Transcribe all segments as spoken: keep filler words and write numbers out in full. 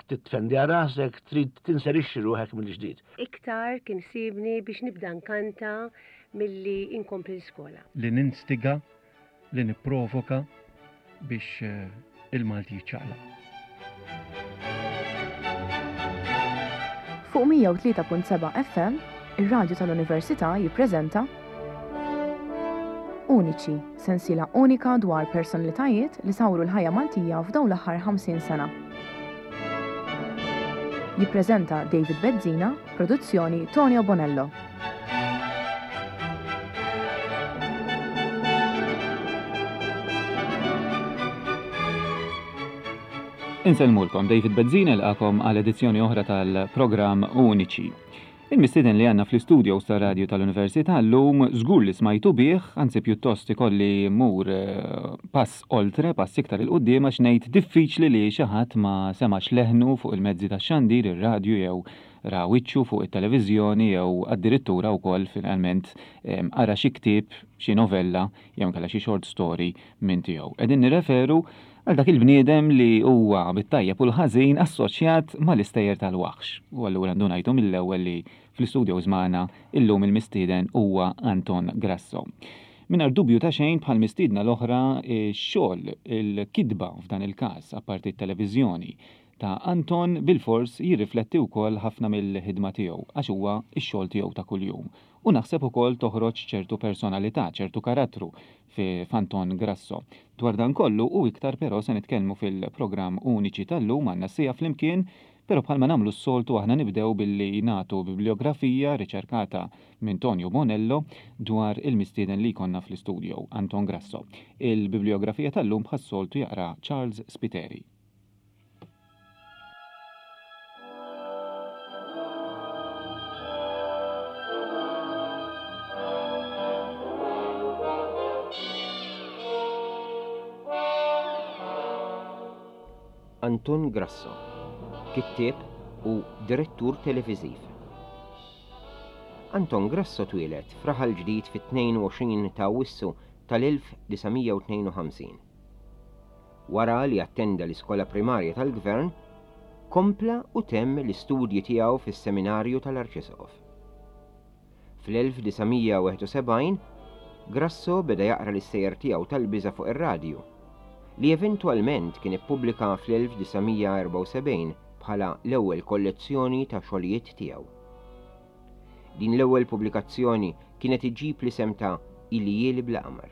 Titfendi rasek, trid tinserixxi ruħek mill-ġdid. Iktar kien sibni biex nibda nkanta milli inkompli l-iskola. Li ninstiga, li nipprovoka biex il-Malti jiċċaqlaq. Fuq mija u tlieta punt seba' F M, ir-Radju tal-Università jippreżenta Uniċi, sensiela unika dwar personalitajiet li sawru l-ħajja Maltija f'dawn l-aħħar ħamsin sena. Jippreżenta David Bezzina, produzzjoni Tonio Bonello. Insellmulkom, David Bezzina laqakom għal edizzjoni oħra tal-programm Uniċi. Il-mistieden li għandna fl-istudio tar-radju tal-Università llum żgur li smajtu bih, anzi pjuttost ikolli mmur, eh, pass oltre, pass iktar il-quddiem għax ngħid diffiċli li xi ħadd ma semax leħnu fuq il-mezzi tax-xandir, ir-radju jew ra wiċċu fuq it-televiżjoni jew addirittura wkoll finalment, ehm, qara xi ktieb, xi novella jew inkella xi short story minn tiegħu. Qegħdin nirreferu għal dak il-bniedem li huwa bit-tajjeb u l-ħażin assoċjat mal-istejjer tal-waħx. U allura ndunajtu mill-ewwel li fl-istudio żmana illum il-mistieden huwa Anton Grasso. Mingħajr dubju ta' xejn bħal mistiedna l-oħra x-xogħol, il-kitba f'dan il-każ, apparti t-televiżjoni ta' Anton bilfors jirrifletti wkoll ħafna mill-ħidma tiegħu għax huwa x-xogħol tiegħu ta' kuljum. U naħseb ukoll toħroġ ċertu personalità, ċertu karattru fi Anton Grasso. Dwar dan kollu u iktar però se nitkellmu fil-programm Uniċi tal-lum għandna sija flimkien, però bħalma nagħmlu s-soltu aħna nibdew billi nagħtu bibliografija riċerkata minn Tonio Bonello dwar il-mistieden li jkollna fl-istudio, Anton Grasso. Il-bibliografija tal-lum bħas-soltu jaqra Charles Spiteri. Anton Grasso, kittieb u direttur televiżiv. Anton Grasso twieled f'Raħal Ġdid fit-tnejn u għoxrin ta' Awwissu tal-elf disa' mija u tnejn u ħamsin. Wara li attenda l-iskola primarja tal-Gvern, kompla u temm l-istudji tiegħu fis-seminarju tal-Arċisqof. Fl-elf disa' mija u wieħed u sebgħin, Grasso beda jaqra l-istejjer tiegħu tal-biża' fuq ir-radju, li eventwalment kien ippubblika fl-elf disa' mija erbgħa u sebgħin bħala l-ewwel kollezzjoni ta' xogħlijiet tiegħu. Din l-ewwel pubblikazzjoni kienet iġġib l-isem ta' Iljieli bla qamar.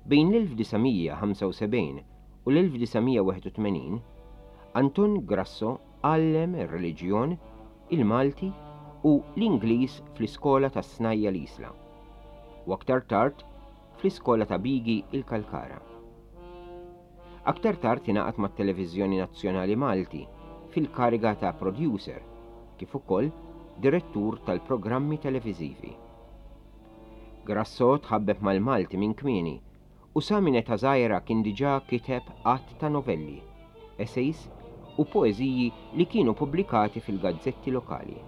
Bejn l-elf disa' mija ħamsa u sebgħin u l-elf disa' mija wieħed u tmenin, Anton Grasso għallem ir-reliġjon, il-Malti u l-Ingliż fl-iskola tas-Snajja l-Isla u aktar tard fl-iskola ta' Bigi il-Kalkara. Aktar tard ingħaqad mat-Televiżjoni Nazzjonali Malti fil-kariga ta' producer, kif ukoll direttur tal-programmi televiżivi. Grasso tħabbeb mal-Malti minn kmieni u sa minn età żgħira kien diġà kiteb għadd ta' novelli, essays u poeżiji li kienu pubblikati fil-gazzetti lokali.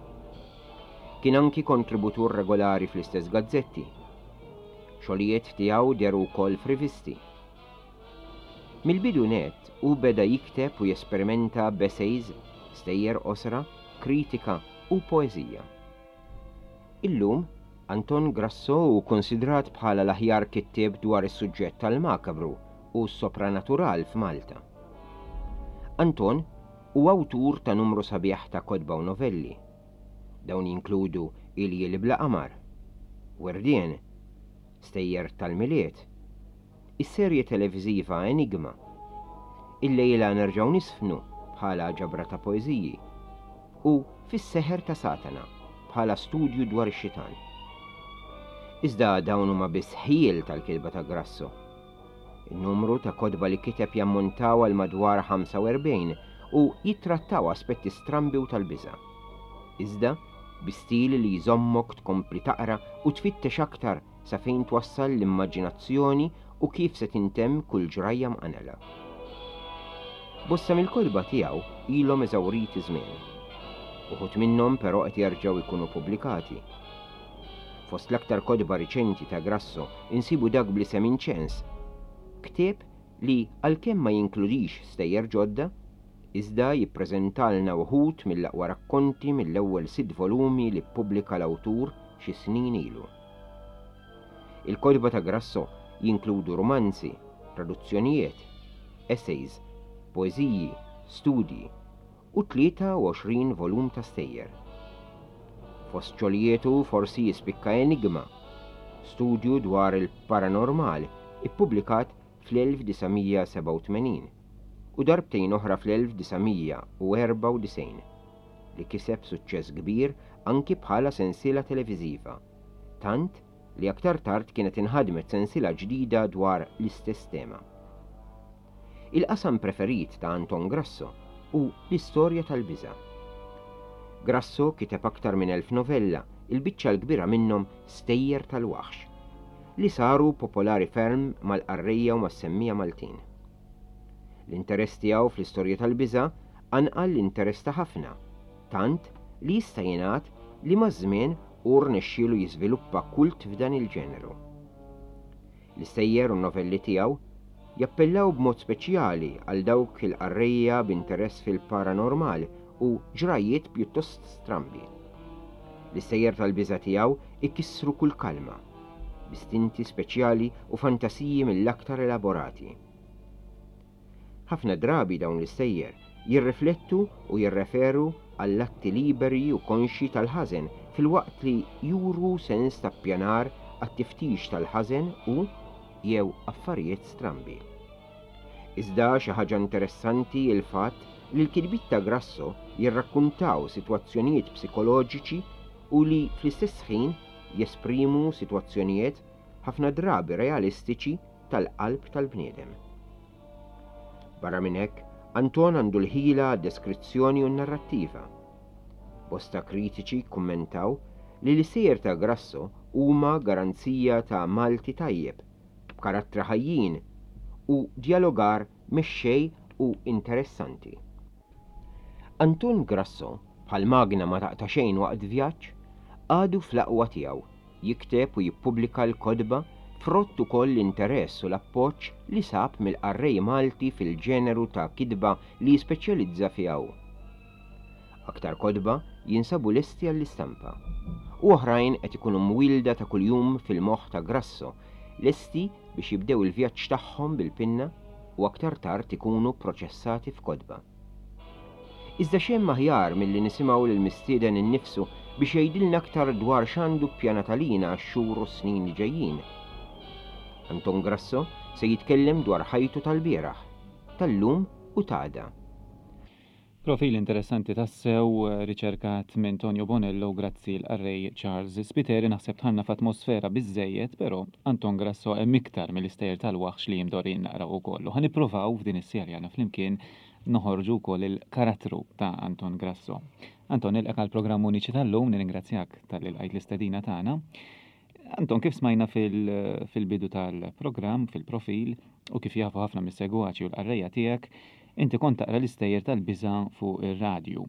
Kien anki kontributur regolari fl-istess gazzetti. Xogħlijiet tiegħu dehru wkoll f'rivisti. Mill-bidu net u beda jikteb u jesperimenta b'essays, stejjer qosra, kritika u poeżija. Illum, Anton Grasso hu konsidrat bħala l-aħjar kittieb dwar is-suġġett tal-makabru u s-sopranatural f'Malta. Anton hu awtur ta' numru sabiħ ta' kotba u novelli. Dawn jinkludu Iljieli bla qamar, Werdien, Stejjer tal-Milied, is-serje televiżiva Enigma, Illejla nerġgħu nisfnu bħala ġabra ta' poeżiji u Fis-seħer ta' Satana bħala studju dwar ix-xitan. Iżda dawn huma biss ħjiel tal-kitba ta' Grasso. In-numru ta' kotba li kiteb jammontaw għal madwar ħamsa u erbgħin u jittrattaw aspetti strambi u tal-biża'. Iżda bi stil li jżommok tkompli taqra u tfittex aktar sa fejn twassal l-immaġinazzjoni u kif se tintemm kull ġrajja mqanela. Bosta mill-kotba tiegħu ilhom eżawriti żmien. Uħud minnhom però qed jerġgħu jkunu pubblikati. Fost l-aktar kotba riċenti ta' Grasso insibu dak bl-isem Inċens, ktieb li għalkemm ma jinkludix stejjer ġodda, Iżda jippreżentalna wħud mill-aqwa rakkonti mill-ewwel sitt volumi li ppubblika l-awtur xi snin ilu. Il-kotba ta' Grasso jinkludu romanzi, traduzzjonijiet, essays, poeżiji, studji u tlieta u għoxrin volum ta' stejjer. Fost xogħlijietu forsi jispikka Enigma, studju dwar il-paranormal ippubblikat fl-elf disa' mija sebgħa u tmenin u darbtejn oħra fl-elf disa' mija erbgħa u disgħin li kiseb suċċess kbir anki bħala sensiela televiżiva, tant li aktar tard kienet inħadmet sensiela ġdida dwar l-istess tema. Il-qasam preferit ta' Anton Grasso hu l-istorja tal-biża'. Grasso kiteb aktar minn elf novella, il-biċċa l-kbira minnhom stejjer tal-waħx, li saru popolari ferm mal-qarrejja u mas-semmiegħa Maltin. L-interess tiegħu fl-istorja tal-biża' qanqal l-interess ta' ħafna, tant li jista' jingħad li maż-żmien hu rnexxielu jiżviluppa kult f'dan il-ġeneru. L-istejjer u novelli tiegħu jappellaw b'mod speċjali għal dawk il-qarrejja b'interess fil-paranormal u ġrajiet pjuttost strambi. L-istejjer tal-biża' tiegħu ikissru kull kalma, b'istinti speċjali u fantasiji mill-aktar elaborati. Ħafna drabi dawn l-istejjer jirriflettu u jirreferu għall-atti liberi u konxji tal-ħażen, filwaqt li juru sens ta' ppjanar għat-tiftix tal-ħażen u jew affarijiet strambi. Iżda xi ħaġa interessanti il-fatt li l-kitbiet ta' Grasso jirrakkuntaw sitwazzjonijiet psikoloġiċi u li fl-istess ħin jesprimu sitwazzjonijiet ħafna drabi realistiċi tal-qalb tal-bniedem. Barra minn hekk, Anton għandu l-ħila deskrizzjoni u narrattiva. Bosta kritiċi kummentaw li l-istejjer ta' Grasso huma garanzija ta' Malti tajjeb, b'karattri ħajjin u djalogar mexxej u interessanti. Anton Grasso, bħal magna ma taqta' xejn waqt vjaġġ, għadu fl-aqwa tiegħu, jikteb u jippubblika l-kotba, frott ukoll l-interess u l-appoġġ li sab mill-qarrej Malti fil-ġeneru ta' kitba li jispeċjalizza fiha hu. Aktar kotba jinsabu lesti għall-istampa. U oħrajn qed ikunu mwielda ta' kuljum fil-moħħ ta' Grasso, lesti biex jibdew il-vjaġġ tagħhom bil-pinna u aktar tard ikunu proċessati f'kotba. Iżda xejn aħjar milli nisimgħu lill-mistieden innifsu biex jgħidilna aktar dwar x'għandu ppjanat għalina għax-xhur u snin li ġejjin. Anton Grasso se jitkellem dwar ħajtu tal-bieraħ, tal-lum u t'għada. Profil interessanti tassew, eh, riċerkat minn Tonio Bonello, grazzi l-qarrej Charles Spiteri. Naħseb dħalna f'atmosfera biżżejjed, però Anton Grasso hemm iktar mill-istejjer tal-waħx li imdorrijin naqraw ukoll. U ħa nippruvaw f'din is-serja għandna flimkien noħorġu wkoll il-karattru ta' Anton Grasso. Anton, nilqgħek għall-programm Uniċi tal-lum, nirringrazzjak talli lqajt l-istedina tagħna. Anton, kif smajna fil-bidu tal-programm, fil-profil, u kif jafu ħafna mis-segwaċi u l-qarrejja tiegħek, inti kont taqra l-istejjer tal-biża' fuq ir-radju.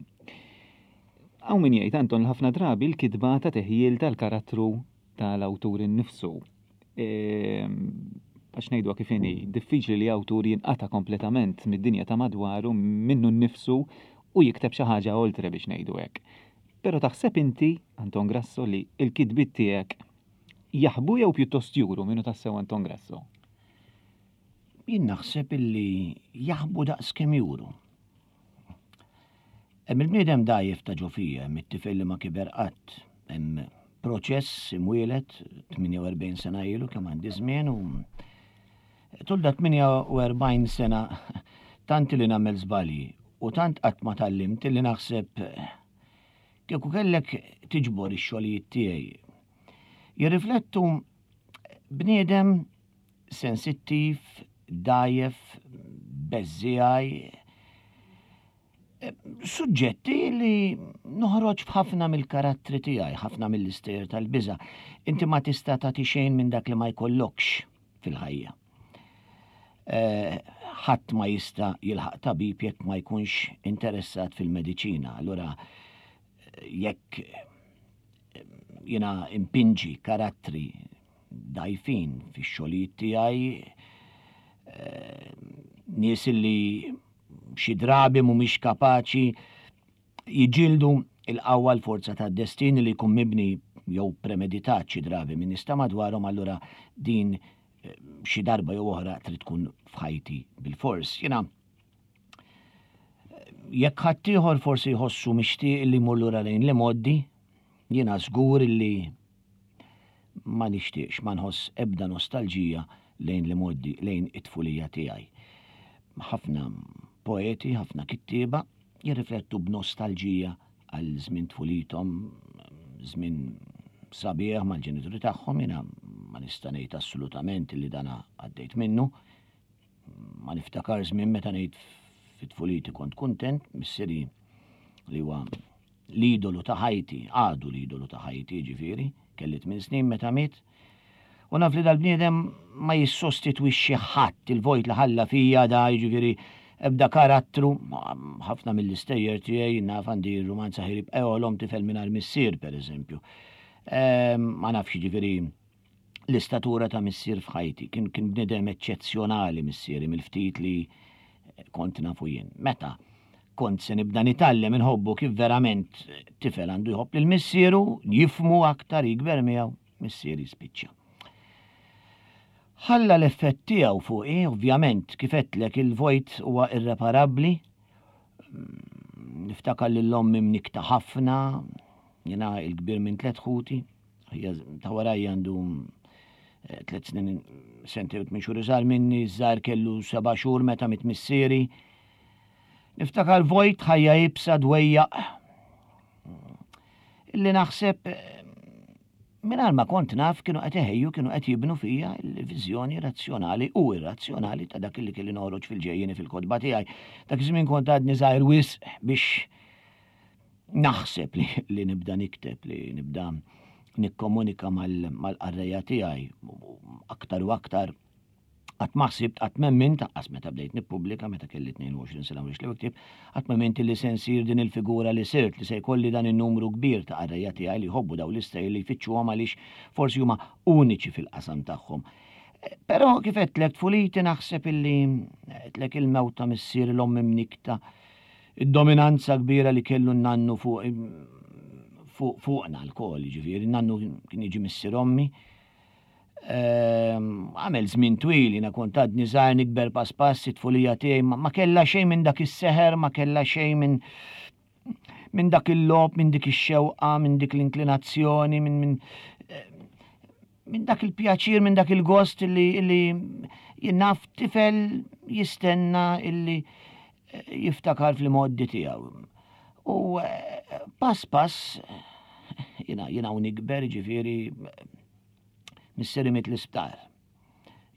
Hawn min jgħid, Anton, ħafna drabi l-kitba ta' teħjil tal-karattru tal-awtur innifsu. Ehm, għax ngħidu kif inhi, diffiċli li awtur jinqata' kompletament mid-dinja ta' madwaru, minnu nnifsu, u jikteb xi ħaġa oltre, biex ngħidu hekk. Però taħseb inti, Anton Grasso, li l-kitbiet tiegħek jaħbu jew pjuttost juru min hu tassew Anton Grasso? Jien naħseb illi jaħbu daqs kemm juru. Hemm il-bniedem dgħajjef ta' ġo fija, hemm it-tifel li ma kiber qatt, hemm proċess imwieled tmienja u erbgħin sena ilu, kemm għandi żmien, u tul da tmienja u erbgħin sena tant li nagħmel żbalji u tant qatt ma tgħallimt li naħseb kieku kellek tiġbor ix-xogħlijiet tiegħi jirriflettu bniedem sensittiv, dgħajjef, beżżiegħi, suġġetti li noħroġ f'ħafna mill-karattri tiegħi, ħafna mill-istejjer tal-biża'. Inti ma tista' tagħti xejn minn dak li ma jkollokx fil-ħajja. Eh, ħadd ma jista' jilħaq tabib jekk ma jkunx interessat fil-mediċina. Allura jekk jiena impinġi karattri dgħajfin fix-xogħlijiet tiegħi, eh, nies li Xi drabi mhumiex kapaċi jiġġieldu il-qawwa, l-forza tad-destin li jkun mibni jew premeditat xi drabi minn nies ta' madwarhom, allura din eh, xi darba jew oħra trid tkun f'ħajti bil-fors. Jiena jekk ħaddieħor forsi jħossu mixtieq li jmur lura lejn l-imgħoddi, jiena żgur li ma nixtieqx, ma nħoss ebda nostalġija lejn l-imgħoddi, lejn it-tfulija tiegħi. Ħafna poeti, ħafna kittieba jirriflettu b'nostalġija għal żmien tfulithom, żmien sabiħ mal-ġenituri tagħhom, jiena ma nista' ngħid assolutament li dana għaddejt minnu. Ma niftakar żmien meta ngħid fit-tfuliti kont kuntent. Missieri li huwa l-idolu ta' ħajti, għadu l-idolu ta' ħajti, ġifieri, kelli tmien snin meta miet. U naf li dal-bniedem ma jissostitwixxi ħadd il-vojt li ħalla fija da, jiġifieri ebda karattru, ħafna mill-istejjer tiegħi, naf għandi rumanza ħirib eolom tifel mingħajr missier, pereżempju. Ehm, ma nafx, jiġifieri l-istatura ta' missier f'ħajti, kien kien bniedem eċċezzjonali missieri mill-ftit li kont nafu jien. Meta kont se nibda nitgħallem inħobbu kif verament tifel għandu jħobb lil missieru, jifhmu aktar, jikber miegħu, missieri spiċċa. Ħalla l-effett tiegħu fuqi, ovvjament, kif għedtlek, il-vojt huwa irreparabbli. Niftakar lil ommi mnikta ħafna, jiena il-kbir minn tliet ħuti, ta' warajja għandu eh, tliet snin, sentejn u tmien xhur iżgħar minni, żgħar kellu seba' xhur meta miet missieri. Niftakar vojt, ħajja iebsa, dwejjaq. Illi naħseb eh, mingħajr ma kont naf kienu qed iħejju, kienu qed jibnu fija l-viżjoni razzjonali u irrazzjonali ta' dak li kelli noħroġ fil-ġejjieni fil-kotba tiegħi. Dak iż-żmien kont għadni żgħir wisq biex naħseb li, li nibda nikteb, li nibda nikkomunika mal-qarrejja tiegħi aktar u aktar. Qatt ma ħsibt, qatt m'emmint, lanqas meta bdejt nippubblika meta kelli tnejn u għoxrin sena u li ktieb, qatt m'emmint li se nsir din il-figura li sirt, li se jkolli dan in-numru kbir ta' qarrejja tiegħi li jħobbu daw l-istejjer, li jfittxuhom għaliex forsi huma uniċi fil-qasam tagħhom. Però kif għedtlek, tfuliti naħseb illi għedtlek il-mewt ta' missier, l-omm imnikta, id-dominanza kbira li kellu n-nannu fuq fuqna lkoll, ġifieri, nannu kien jiġi missier ommi. Ehm, għamel żmien twil, jiena kont għadni żgħir, nikber pass pass, it-tfulija tiegħi ma kellha xejn minn dak is-seħer, ma kellha xejn minn minn dak il-logħob, minn dik ix-xewqa, minn dik l-inklinazzjoni, minn minn minn dak il-pjaċir, minn dak il-gost illi illi jien naf tifel jistenna illi eh, jiftakar fl-imgħoddi tiegħu. U eh, pass pass jiena jiena u nikber, ġifieri missieri miet l-isptar.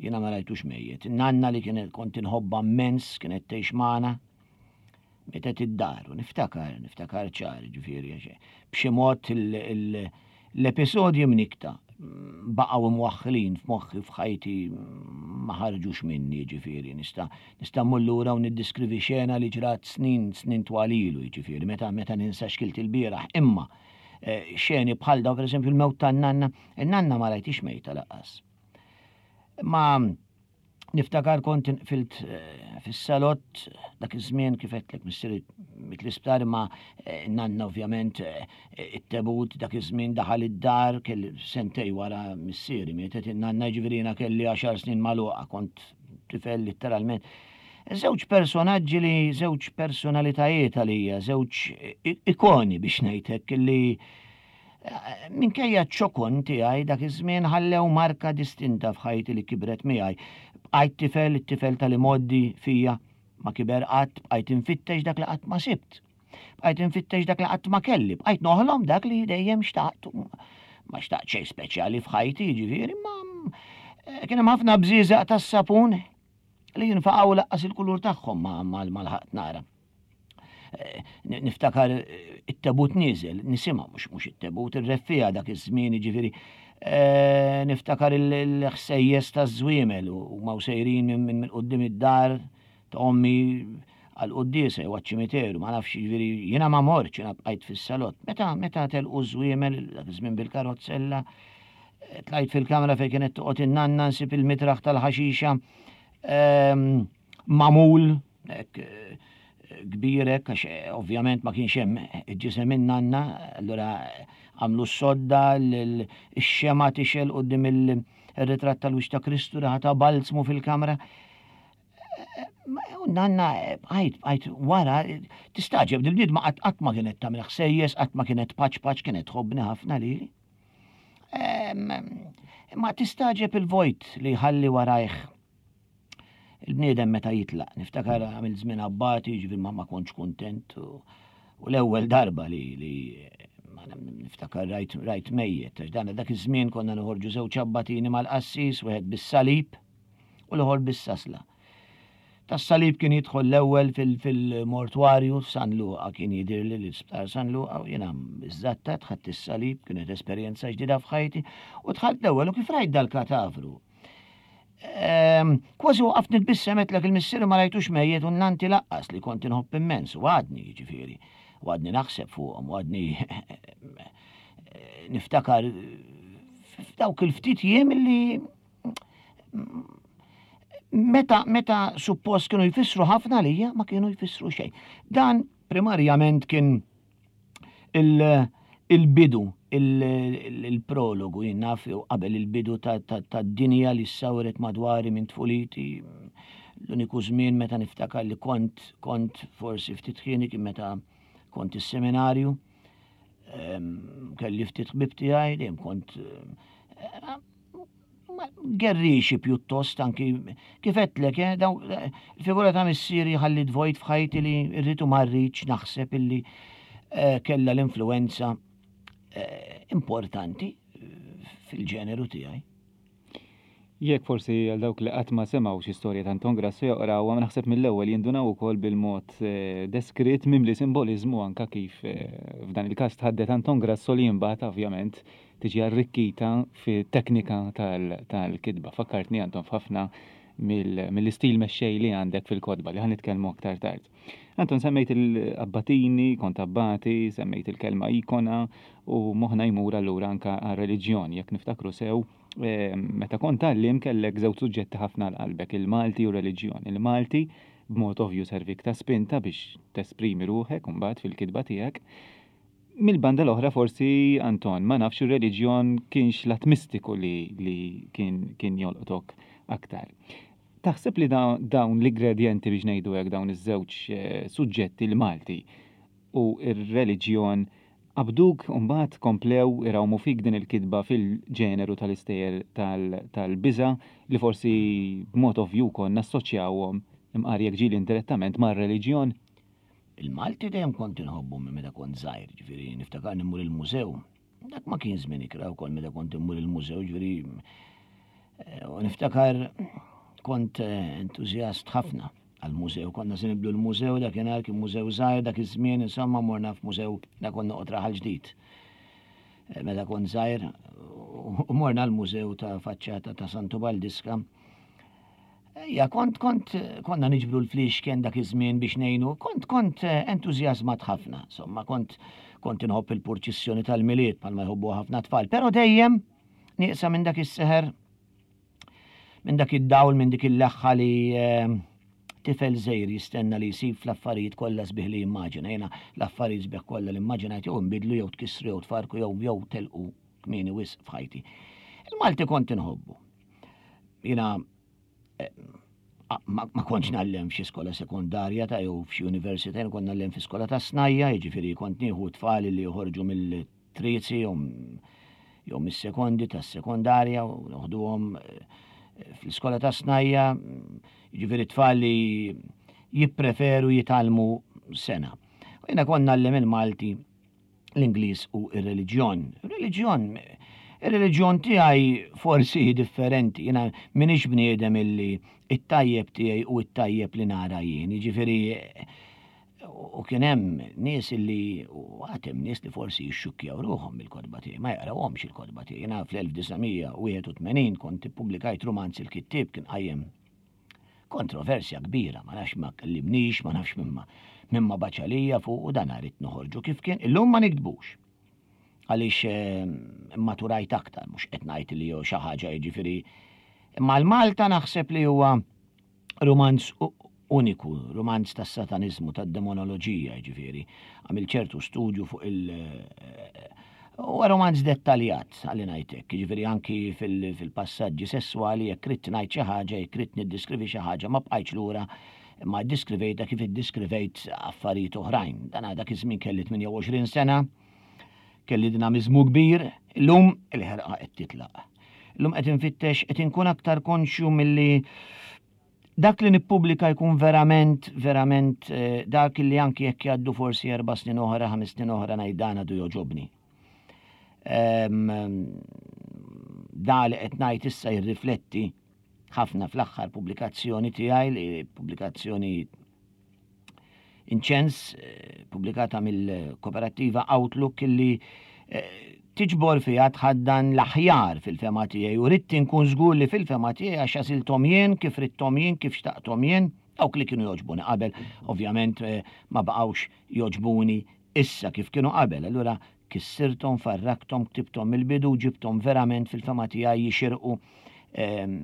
Jiena ma rajtux mejjet. Nanna li kienet kont inħobba immens, kienet tgħix magħna, mietet id-dar u niftakar, niftakar ċar, ġifieri, b'xi mod l-episodji mnikta baqgħu mwaħħlin f'moħħi, f'ħajti, ma ħarġux minni, ġifieri, nista' nista' mmur lura u niddiskrivi xena li ġrat snin, snin twal ilu, ġifieri, meta meta ninsa x'kilt il-bieraħ, imma eh, xeni bħal daw, per eżempju, il-mewt tan-nanna, in-nanna ma rajtix mejta lanqas. Ma niftakar kont inqfilt eh, fis-salott dak iż-żmien, kif għedtlek, missieri miet l-isptar, ma eh, nanna ovvjament it-tebut dak iż-żmien daħal id-dar, kelli sentejn wara missieri mietet in-nanna, ġifieri jiena kelli għaxar snin magħluqa, kont tifel letteralment. Żewġ personaġġi li żewġ personalitajiet għalija, żewġ ikoni biex ngħidlek, li eh, minkejja ċ-ċokon tiegħi dak iż-żmien ħallew marka distinta f'ħajti li kibret miegħi. Bqajt tifel, it-tifel tal-imgħoddi fija ma kiber qatt, bqajt infittex dak li qatt ma sibt. Bqajt infittex dak li qatt ma kelli, bqajt noħlom dak li dejjem xtaqt. Ma xtaqt xejn speċjali f'ħajti, ġifieri, ma eh, kien hemm ħafna bżieżaq tas-sapun li jinfaqgħu lanqas il-kulur tagħhom ma ma lħaqt nara. Eh, niftakar eh, it-tebut nieżel, nisimgħu, mhux mhux it-tebut, ir-reffiegħa dak iż-żmien, ġifieri. Eh, niftakar il-ħsejjes taż-żwiemel u ma sejrin minn quddiem id-dar ta' ommi għal-quddiesa jew għaċ-ċimiteru, ma nafx, ġifieri jiena ma mortx, jiena bqajt fis-salott. Meta meta telqu żwiemel dak iż-żmien bil-karozzella, tlajt fil-kamra fejn kienet toqgħod in-nanna, nsib il-mitraħ tal-ħaxixa Ehm, magħmul Hekk kbir hekk, għax ovvjament ma kienx hemm ġisem in-nanna, allura għamlu s-sodda, x-xemgħa tixgħel quddiem il-ritratt tal-wiċċ ta' Kristu, riħa ta' balzmu fil-kamra. U nanna, għajt, għajt, wara, tistagħġeb, dil-bniedma qatt ma kienet tagħmel ħsejjes, qatt ma kienet paċ paċ, kienet tħobbni ħafna lili. Ma tistagħġeb il-vojt li ħalli warajh il-bniedem meta jitlaq. Niftakar għamil żmien abbati, ġifieri ma ma kontx kuntent u l-ewwel darba li li niftakar rajt rajt mejjet, għax dan dak iż-żmien konna noħorġu żewġ abbatini mal-qassis, wieħed bis-salib u l-ieħor bis-sasla. Tas-salib kien jidħol l-ewwel fil-mortwarju f'San Luqa, kien jidhirli l-isptar San Luqa, u jiena iżżattat ħadt is-salib, kienet esperjenza ġdida f'ħajti, u dħalt l-ewwel u kif rajt dal-katavru. Kważi waqaft nitbissem, għedtlek il-missieri ma rajtux mejjet u nanti laqqas li kont inħobb immens, u għadni ġifieri, u għadni naħseb fuqhom, u għadni niftakar f'dawk il-ftit jiem li meta, meta suppost kienu jfissru ħafna lija, ma kienu jfissru xejn. Dan primarjament kien il-bidu, il-prologu, jien naf, qabel il-bidu ta' dinja li sawret madwari minn tfuliti. L-uniku żmien meta niftakar li kont kont forsi ftit ħieni kien meta kont is-seminarju. Kelli ftit ħbib tiegħi, dejjem kont gerrixi pjuttost, anki kif għedtlek, eh, daw il-figura ta' missieri ħallit vojt f'ħajti li rrid u ma rridx naħseb illi eh, kella l-influenza eh, importanti fil-ġeneru tiegħi. Jekk forsi għal dawk li qatt ma semgħu xi storja ta' Anton Grasso joqraw, ma naħseb mill-ewwel jindunaw ukoll bil-mod deskritt mimli simboliżmu, anka kif f'dan il-każ tħaddet Anton Grasso li imbagħad ovvjament tiġi arrikkita fi teknika tal-kitba. Fakkartni, Anton, f'ħafna mill-istil mexxej li għandek fil-kotba li ħa nitkellmu aktar tard. Anton, semmejt il-abbatini, kont abbati, semmejt il-kelma ikona u moħna jmur allura anka għal-reliġjon, jekk niftakru sew, eh, meta kont għallim kellek żewġ suġġetti ħafna l-qalbek, il-Malti u reliġjon. Il-Malti b'mod ovvju servik ta' spinta biex tesprimi ruħek mbagħad fil-kitba tiegħek. Mil-banda l-oħra forsi, Anton, ma nafx, il-reliġjon kienx lat mistiku li, li kien, kien jolqtok aktar. Taħseb li dawn l-ingredienti, biex ngħidu hekk, dawn iż-żewġ eh, suġġetti, l-Malti u ir-reliġjon, qabduk, mbagħad komplew irawmu fik din il-kitba fil-ġeneru tal-istejjer tal-biża li forsi b'mod ovvju konna assoċjawhom, imqar jekk ġieli indirettament, mar-reliġjon? Il-Malti dejjem kont inħobbu minn meta kont żgħir, ġifieri niftakar immur il-mużew. Dak ma kien żmien ikrah ukoll meta kont immur il-mużew, ġifieri eh, u niftakar kont eh, entużjast ħafna għal-mużew. Konna se nibdlu l-mużew, dakinhar kien mużew żgħir dak iż-żmien, insomma morna f'mużew, da kont noqgħod Raħal Ġdid. Eh, meta kont żgħir u morna l-mużew ta' faċċata ta' Santu Baldiska. Ja, kont, kont, konna niġbru l-flixken dak iż-żmien biex ngħinu, kont, kont eh, entużjażmat ħafna, insomma, kont, kont inħobb il-purċissjoni tal-Milied bħalma jħobbu ħafna tfal, però dejjem nieqsa minn dak is-seħer, minn dak id-dawl, minn dik il-leħħa li eh, tifel żgħir jistenna li jsib fl-affarijiet kollha sbieħ li jimmaġina. Jiena l-affarijiet sbieħ kollha li immaġinajt jew nbidlu jew tkissru jew tfarku jew jew telqu kmieni wisq f'ħajti. Il-Malti kont inħobbu. Jiena eh, ma, ma kontx ngħallem f'xi skola sekondarja ta' jew f'xi università, jien kont ngħallem fi skola ta' snajja, jiġifieri kont nieħu tfal li joħorġu mill-trizi jew jew mis-sekondi tas-sekondarja u noħduhom eh, fl-iskola ta' snajja, jiġifieri tfal li jippreferu jitgħallmu sengħa. U jiena kont ngħallem il-Malti, l-Ingliż u ir-reliġjon. Ir-reliġjon, ir-reliġjon tiegħi forsi differenti. Jiena m'iniex bniedem illi it-tajjeb tiegħi u it-tajjeb li nara jien. Jiġifieri u kien hemm nies illi, u għad hemm nies li forsi jixxukkjaw ruħhom bil-kotba tiegħi, ma jaqrawhomx il-kotba tiegħi. Jiena fl-elf disa' mija u wieħed u tmenin kont ippubblikajt rumanz, Il-Kittieb, kien qajjem kontroversja kbira, ma nafx ma kellimnix, ma nafx mimma mimma baċalija fuq u dan rrid noħorġu kif kien. Illum ma niktbux. Għaliex eh, maturajt aktar, mhux qed ngħid li jew xi ħaġa, jiġifieri. Imma l-Malta naħseb li huwa romanz uniku, rumanz tas-sataniżmu, tad-demonoloġija, ġifieri. Għamil ċertu studju fuq il- Huwa romanz dettaljat, għalli ngħidlek, ġifieri anki fil-passaġġi sessuali, jekk ridt ngħid xi ħaġa, jekk ridt niddeskrivi xi ħaġa, ma bqajtx lura ma ddeskrivejtha kif iddeskrivejt affarijiet oħrajn. Dan dak iż-żmien kelli tmienja u għoxrin sena, kelli dinamiżmu kbir, illum il-ħerqa qed titlaq. Illum qed infittex, qed inkun aktar konxju milli dak li nippubblika jkun verament, verament eh, dak li anki jekk jgħaddu forsi erba' snin oħra, ħames snin oħra, ngħid dan għadu jogħġobni. Da li qed ngħid issa jirrifletti ħafna fl-aħħar pubblikazzjoni tiegħi, li pubblikazzjoni Inċens, eh, pubblikata mill-kooperativa Outlook, illi eh, tiġbor fiha, tħaddan l-aħjar fil-fehma tiegħi, u ridt inkun żgur li fil-fehma tiegħi, għax għażilthom jien, kif ridthom jien, kif xtaqthom jien. Dawk li kienu jogħġbuni qabel, ovvjament eh, ma baqgħux jogħġbuni issa kif kienu qabel. Allura kissirthom, farrakthom, ktibthom mill-bidu, ġibthom verament fil-fehma tiegħi jixirqu ehm,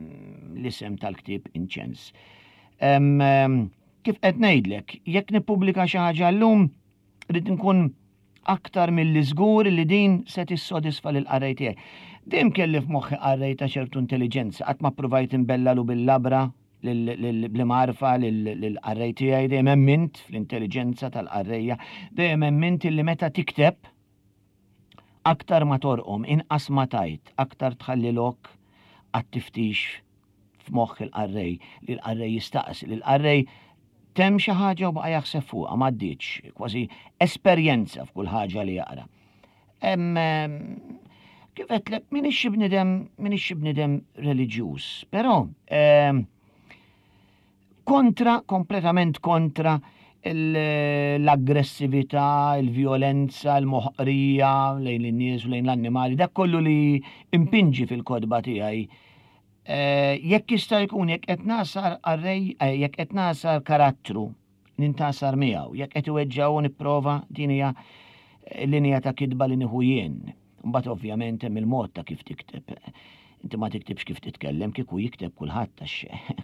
l-isem tal-ktib Inċens. Ehm, kif qed ngħidlek, jekk nippubblika xi ħaġa llum, rrid nkun aktar milli żgur li din se tissodisfa lil qarrej tiegħi. Dejjem kelli f'moħħi qarrej ta' ċertu intelligenza, qatt ma provajt imbellalu bil-labra, bl-marfa lill-qarrej tiegħi. Dejjem emmint fl-intelligenza tal-qarrejja, dejjem emmint li meta tikteb, aktar ma torqom, inqas ma tgħid, aktar tħalli lok għat-tiftix f'moħħ il-qarrej, li l-qarrej jistaqsi, li l-qarrej temm xi ħaġa u baqa' jaħseb fuqha, m'għaddietx, kważi esperjenza f'kull ħaġa li jaqra. Kif għedtlek, m'iniex bniedem, m'iniex bniedem reliġjuż, però kontra, kompletament kontra l-aggressività, il-violenza, il-moħqrija lejn in-nies u lejn l-annimali, dak kollu li impinġi fil-kotba tiegħi. Eh, jekk jista' jkun, jekk qed nagħsar qarrej, eh, jekk qed nagħsar karattru, nintgħasar miegħu, jekk qed iweġġgħu nipprova. Din hija eh, linja ta' kitba li nieħu jien. Mbagħad ovvjament hemm il-mod ta' kif tikteb. Inti ma tiktibx kif titkellem, kieku jikteb kulħadd, għax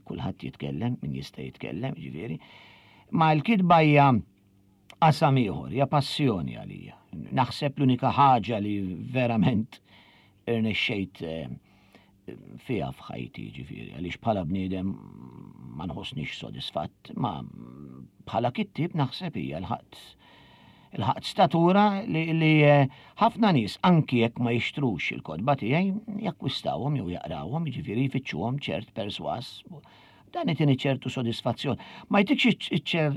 kulħadd jitkellem, min jista' jitkellem, ġifieri. Ma l-kitba hija qasam ieħor, hija passjoni għalija. Naħseb l-unika ħaġa li verament irnexxejt eh, fiha f'ħajti, ġifieri, għaliex bħala bniedem ma nħossnix sodisfatt, ma bħala kittib naħseb hija lħaqt lħaqt statura li, li eh, ħafna nies, anki jekk ma jixtrux il-kotba tiegħi, jakkwistawhom jew jaqrawhom, jiġifieri jfittxuhom, ċert perswas. Dan itini ċertu sodisfazzjon. Ma jtikx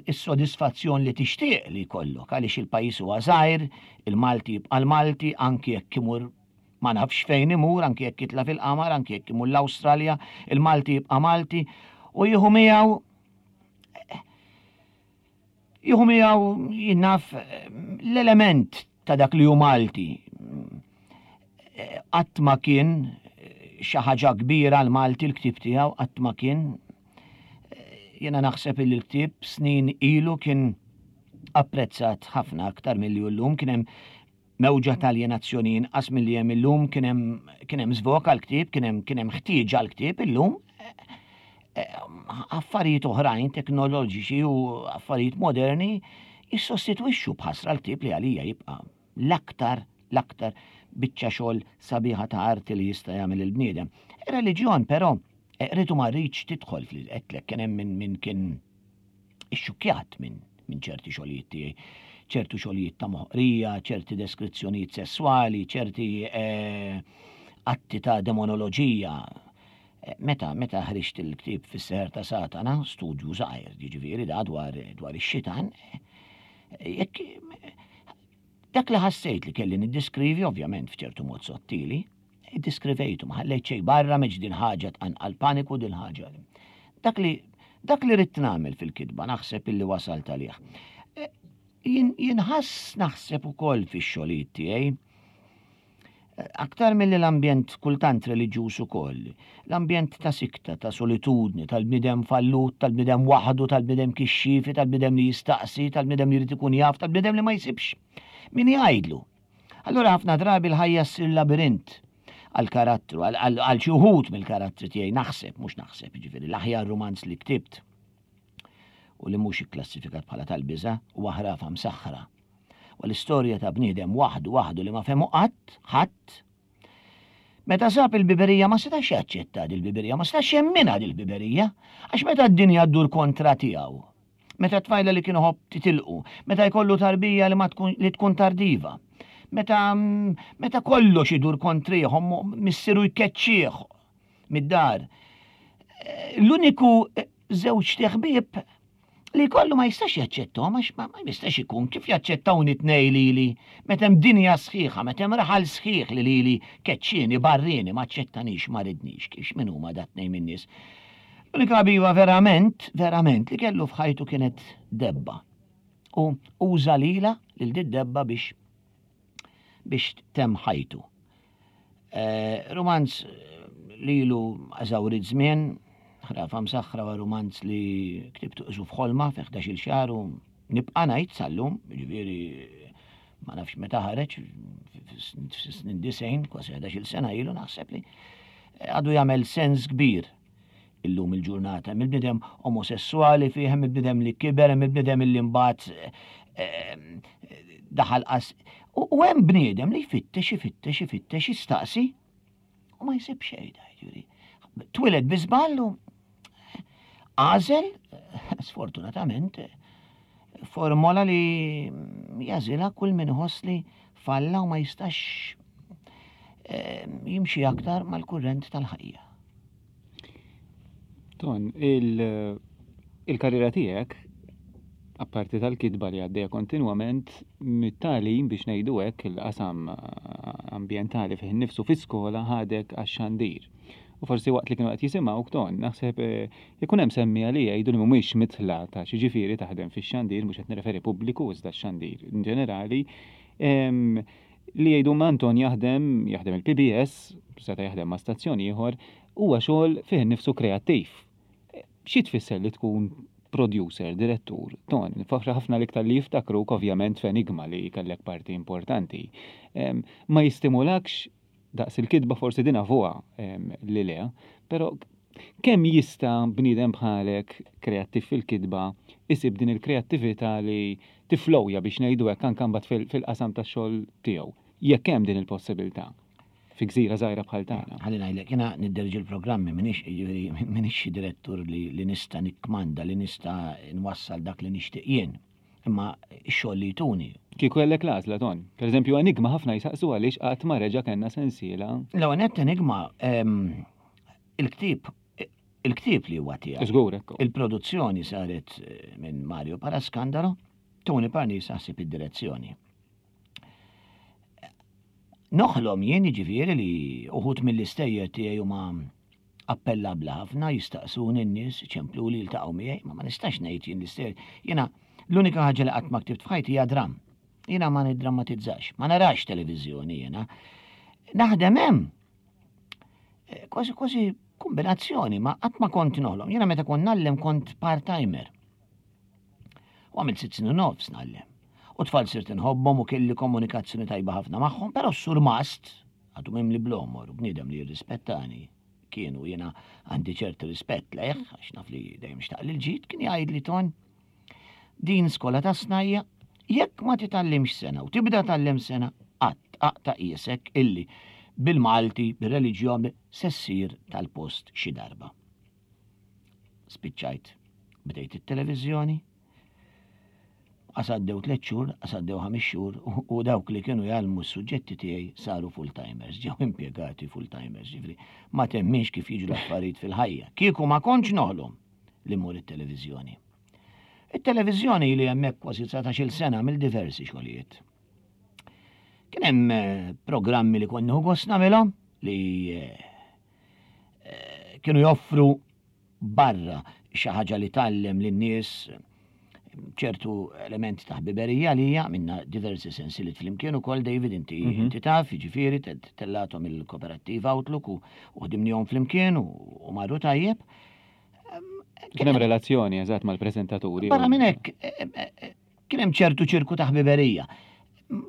is-sodisfazzjon li tixtieq li jkollok, għaliex il-pajjiż huwa żgħir, il-Malti jibqa' l-Malti anki jekk imur ma nafx fejn imur, anki jekk jitla' fil-qamar, anki jekk imur l-Awstralja, il-Malti jibqa' Malti u jieħu miegħu jieħu miegħu jien naf l-element ta' dak li hu Malti. Qatt ma kien xi ħaġa kbira l-Malti l-ktib tiegħu, qatt ma kien. Jiena naħseb li l-ktib snin ilu kien apprezzat ħafna aktar milli llum, kien hemm mewġa tal-aljenazzjoni inqas milli hemm illum, kien hemm kien hemm żvok għall-ktieb, kien hemm kien hemm ħtieġa għall-ktieb. Illum eh, affarijiet oħrajn teknoloġiċi u affarijiet moderni jissostitwixxu b'ħasra l-ktieb, li għalija jibqa' l-aktar l-aktar biċċa xogħol sabiħa ta' arti li jista' jagħmel il-bniedem. Ir-reliġjon però, eh, rridu ma rridx tidħol fil-qetlek, kien hemm min min kien ixxukkjat minn min ċerti xogħlijiet tiegħi, ċertu xogħlijiet ta' moħqrija, ċerti deskrizzjonijiet sessuali, ċerti eh, atti ta' demonoloġija. Eh, Meta meta ħriġt il-ktieb Fis-Seħer ta' Satana, studju żgħir, jiġifieri da dwar dwar ix-xitan, eh, jekk dak li ħassejt li kelli niddiskrivi, ovvjament f'ċertu mod sottili, iddiskrivejtu, ma ħallejt xejn barra, meġ din ħaġa tqanqal paniku, din ħaġa. Dak li dak li ridt nagħmel fil-kitba naħseb illi wasalt għalih. Eh, Jinħass naħseb ukoll fix-xogħlijiet tiegħi aktar mill l-ambjent kultant reliġjuż ukoll, l-ambjent ta' sikta, ta' solitudni, tal-bniedem fallut, tal-bniedem waħdu, tal-bniedem kixxifi, tal-bniedem li jistaqsi, tal-bniedem li jrid ikun jaf, tal-bniedem li ma jsibx min jgħidlu. Allura ħafna drabi l-ħajja ssir labirint għal-karattru, għal xi wħud mill-karattri tiegħi naħseb, mhux naħseb, jiġifieri l-aħjar rumanz li ktibt. u li mhux ikklassifikat bħala tal-biża' huwa Ħrafa Msaħħra. U l-istorja ta' bniedem waħdu waħdu li ma fehmu qatt, ħadd. Meta sab il-biberija ma setax jaċċetta dil-biberija, ma setax jemminha dil-biberija, għax meta d-dinja ddur kontra tiegħu, meta tfajla li kienu ħobb titilqu, meta jkollu tarbija li ma tkun li tkun tardiva, meta meta kollox idur kontrih, missieru jkeċċih mid-dar. L-uniku żewġ ħbieb li kollu ma jistax jaċċettahom, għax ma jistax ikun kif jaċċettawni tnej lili, meta hemm dinja sħiħa, meta hemm raħal sħiħ li lili keċċieni, barrieni, ma aċċettanix, ma ridnix, kif min huma dat tnejn min-nies. L-unika ħabiba verament, verament li kellu f'ħajtu kienet debba. U uża lila lil di debba biex biex temm ħajtu. Eh, romanz lilu eżawrit żmien, Ħrafa Msaħħra wa romanz li ktibtu qisu f'ħolma fi ħdax-il xahar u nibqa' ngħid sal-lum, jiġifieri ma nafx meta ħareġ, fis-snin disgħin, kważi ħdax-il sena ilu naħseb li għadu jagħmel sens kbir illum il-ġurnata. Hemm il-bniedem omosessuali fih, hemm il-bniedem li kiber, hemm il-bniedem li mbagħad daħal qas. U hemm bniedem li jfittex, ifittex, ifittex, jistaqsi u ma jsib xejn, jiġifieri. Twiled bi żball u għażel, sfortunatament, formola li jażilha kull min iħoss li falla u ma jistax jimxi aktar mal-kurrent tal-ħajja. Ton, il-karriera tiegħek, apparti tal-kitba li għaddejja kontinwament, mit-tagħlim biex ngħidu hekk il-qasam ambjentali fih innifsu fi-skola ħadek għax-xandir. U forsi waqt li kienu qed jisimgħu Ton, naħseb ikun hemm semmija li jgħidu li mhumiex mitla ta' xi ġifieri taħdem fix-xandir, mhux qed nirreferi pubbliku iżda x-xandir in ġenerali, li jgħidu ma Anton jaħdem, jaħdem il-P B S, seta' jaħdem ma' stazzjon ieħor, huwa xogħol fih innifsu kreattiv. Xi tfisser li tkun producer, direttur, Ton, faħra ħafna l-iktar li jiftakruk ovvjament f'Enigma li kellek parti importanti. Ma jistimulakx daqs il-kitba forsi din avuha li le, però kemm jista' bniedem bħalek kreattiv fil-kitba isib din il-kreattività li tiflowja biex ngħidu hekk anke mbagħad fil-qasam tax-xogħol tiegħu, jekk hemm din il-possibilità fi gżira żgħira bħal tagħna. Ħalli ngħidlek, jiena nidderġi l-programmi, m'iniex, jiġifieri, m'iniex xi direttur li, li nista' nikkmanda, li nista' nwassal dak li nixtieq jien. Imma x-xogħol li jtuni. Kieku kellek l-għażla, Ton. Per eżempju, Enigma ħafna jisaqsu għaliex qatt ma reġa' kellna sensiela. L-ewwel nett Enigma, ehm, il-ktieb, il-ktieb li huwa tiegħi. Żgur, ekku. Il-produzzjoni saret, eh, minn Mario Parascandalo, Tony Parnis ħasib id-direzzjoni. Noħlom jien jiġifieri li uħud mill-istejjer tiegħi huma appellabbli ħafna, jistaqsuni n-nies, ċemplu li jiltaqgħu miegħi, ma ma nistax ngħid jien l-istejjer. Jiena l-unika ħaġa li qatt ma ktibt f'ħajti hija dramm. Jiena ma niddrammatizzax, ma narax televiżjoni jiena. Naħdem hemm. Eh, kważi kważi kombinazzjoni, ma qatt ma kont noħlom. Jiena meta kont nallem kont part-timer. U għamilt sitt snin u nofs nallem. U tfal sirt inħobbhom u kelli komunikazzjoni tajba ħafna magħhom, però s-surmast għadu mimli blomor u bniedem li jirrispettani. Kienu jiena għandi ċertu rispett lejh, għax naf li dejjem xtaq lil ġid, kien jgħidli Ton, din skola ta' snajja, jekk ma titgħallimx sena u tibda tgħallem sena, qatt aqta' qiesek illi bil-Malti, bir-reliġjon, se ssir tal-post xi darba. Spiċċajt, bdejt it-televiżjoni, għasaddew tliet xhur, għasaddew ħames xhur, u, u dawk li kienu jgħallmu s-suġġetti tiegħi saru full-timers, ġew impjegati full-timers, ġifieri ma temminx kif jiġu l-affarijiet fil-ħajja. Kieku ma kontx noħlom li mmur it-televiżjoni. It-televiżjoni li hemmhekk kważi dsatax-il sena mill-diversi xogħlijiet. Kien hemm, eh, programmi li kont nieħu gost nagħmilhom li, eh, eh, kienu joffru barra xi ħaġa li tgħallem lin-nies ċertu elementi ta' ħbiberija li hija minna diversi sensiliet flimkien ukoll, David, inti Mhm. inti taf, jiġifieri te-, tellathom il-Koperattiva Outlook u, u ħdimnihom flimkien u, u marru tajjeb. Kien hemm relazzjoni eżatt mal-preżentaturi. Barra minn hekk, e, e, e, kien hemm ċertu ċirku ta' ħbiberija.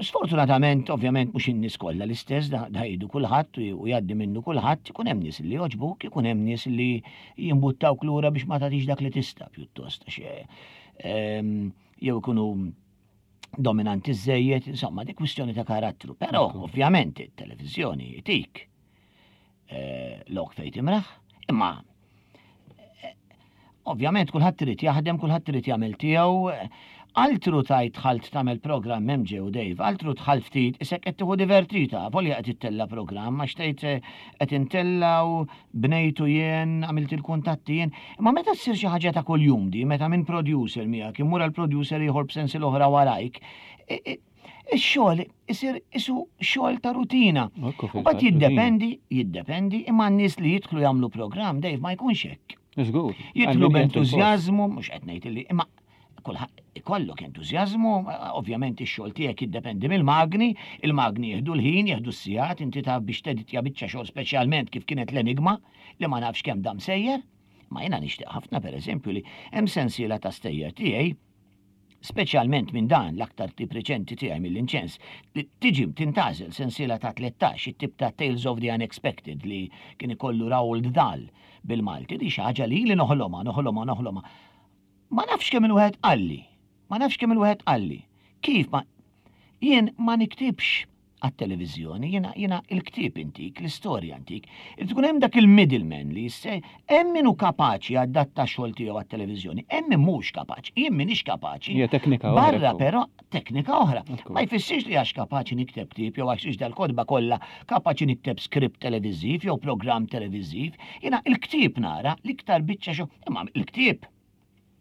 Sfortunatament, ovvjament, mhux in-nies kollha l-istess, da, da jgħidu kulħadd u, u jgħaddi minnu kulħadd, ikun hemm nies li jogħġbuk, ikun hemm nies li jimbuttawk lura biex ma tagħtix dak li tista' pjuttost, għax, eh, ehm, jew ikunu dominanti żejjed, insomma, di kwistjoni ta' karattru. Però, ovvjament, it-televiżjoni tik eh, lok fejn timraħ, imma eh, ovvjament kulħadd irid jaħdem, kulħadd irid jagħmel tiegħu. Altru tajt dħalt tagħmel programm M J u Dave, altru dħalt ftit, isek qed tieħu divertita, volja qed ittella programm, għax tgħid eh, qed intellaw, bnejtu jien, għamilt il-kuntatti jien. Imma meta ssir xi ħaġa ta' kuljum di, meta minn producer miegħek imur għal producer ieħor b'sensi l-oħra warajk, i- i- ix-xogħol isir isu xogħol ta' rutina. Ekku, U fil-fatt, bat jiddependi, jiddependi, imma n-nies li jidħlu jagħmlu programm, Dave, ma jkunx hekk. Żgur. Jidħlu b'entużjażmu, mhux qed ngħid li, imma kulħadd ikollok entużjażmu, ovvjament ix-xogħol tiegħek jiddependi mill-magni, il-magni jieħdu l-ħin, jieħdu s-sigħat, inti taf biex teditja biċċa xogħol, speċjalment kif kienet l-Enigma, li ma nafx kemm dam sejjer. Ma jiena nixtieq ħafna, pereżempju, li hemm sensiela ta' stejjer tiegħi, speċjalment minn dan l-aktar tip reċenti tiegħi, mill-inċens, li tiġi tintgħażel sensiela ta' tlettax, it-tip ta' Tales of the Unexpected li kien ikollu Roald Dahl bil-Malti, di xi ħaġa li li noħloma, noħloma, noħloma. Ma nafx kemm il-wieħed qalli, ma nafx kemm il-wieħed qalli. Kif ma jien ma niktibx għat-televiżjoni, jiena jiena il-ktieb intik, l-istorja antik. Irid tkun hemm dak il-middleman li jisse, hemm min hu kapaċi adatta xogħol tiegħu għat-televiżjoni, hemm min mhux kapaċi, jien m'iniex kapaċi. Hija teknika oħra, Barra ekku. Però teknika oħra. Ekku. Ma jfissirx li għax kapaċi nikteb ktieb jew għax dal-kotba kollha kapaċi nikteb skript televiżiv jew programm televiżiv. Jiena il-ktieb nara l-iktar biċċa xogħol, imma il-ktieb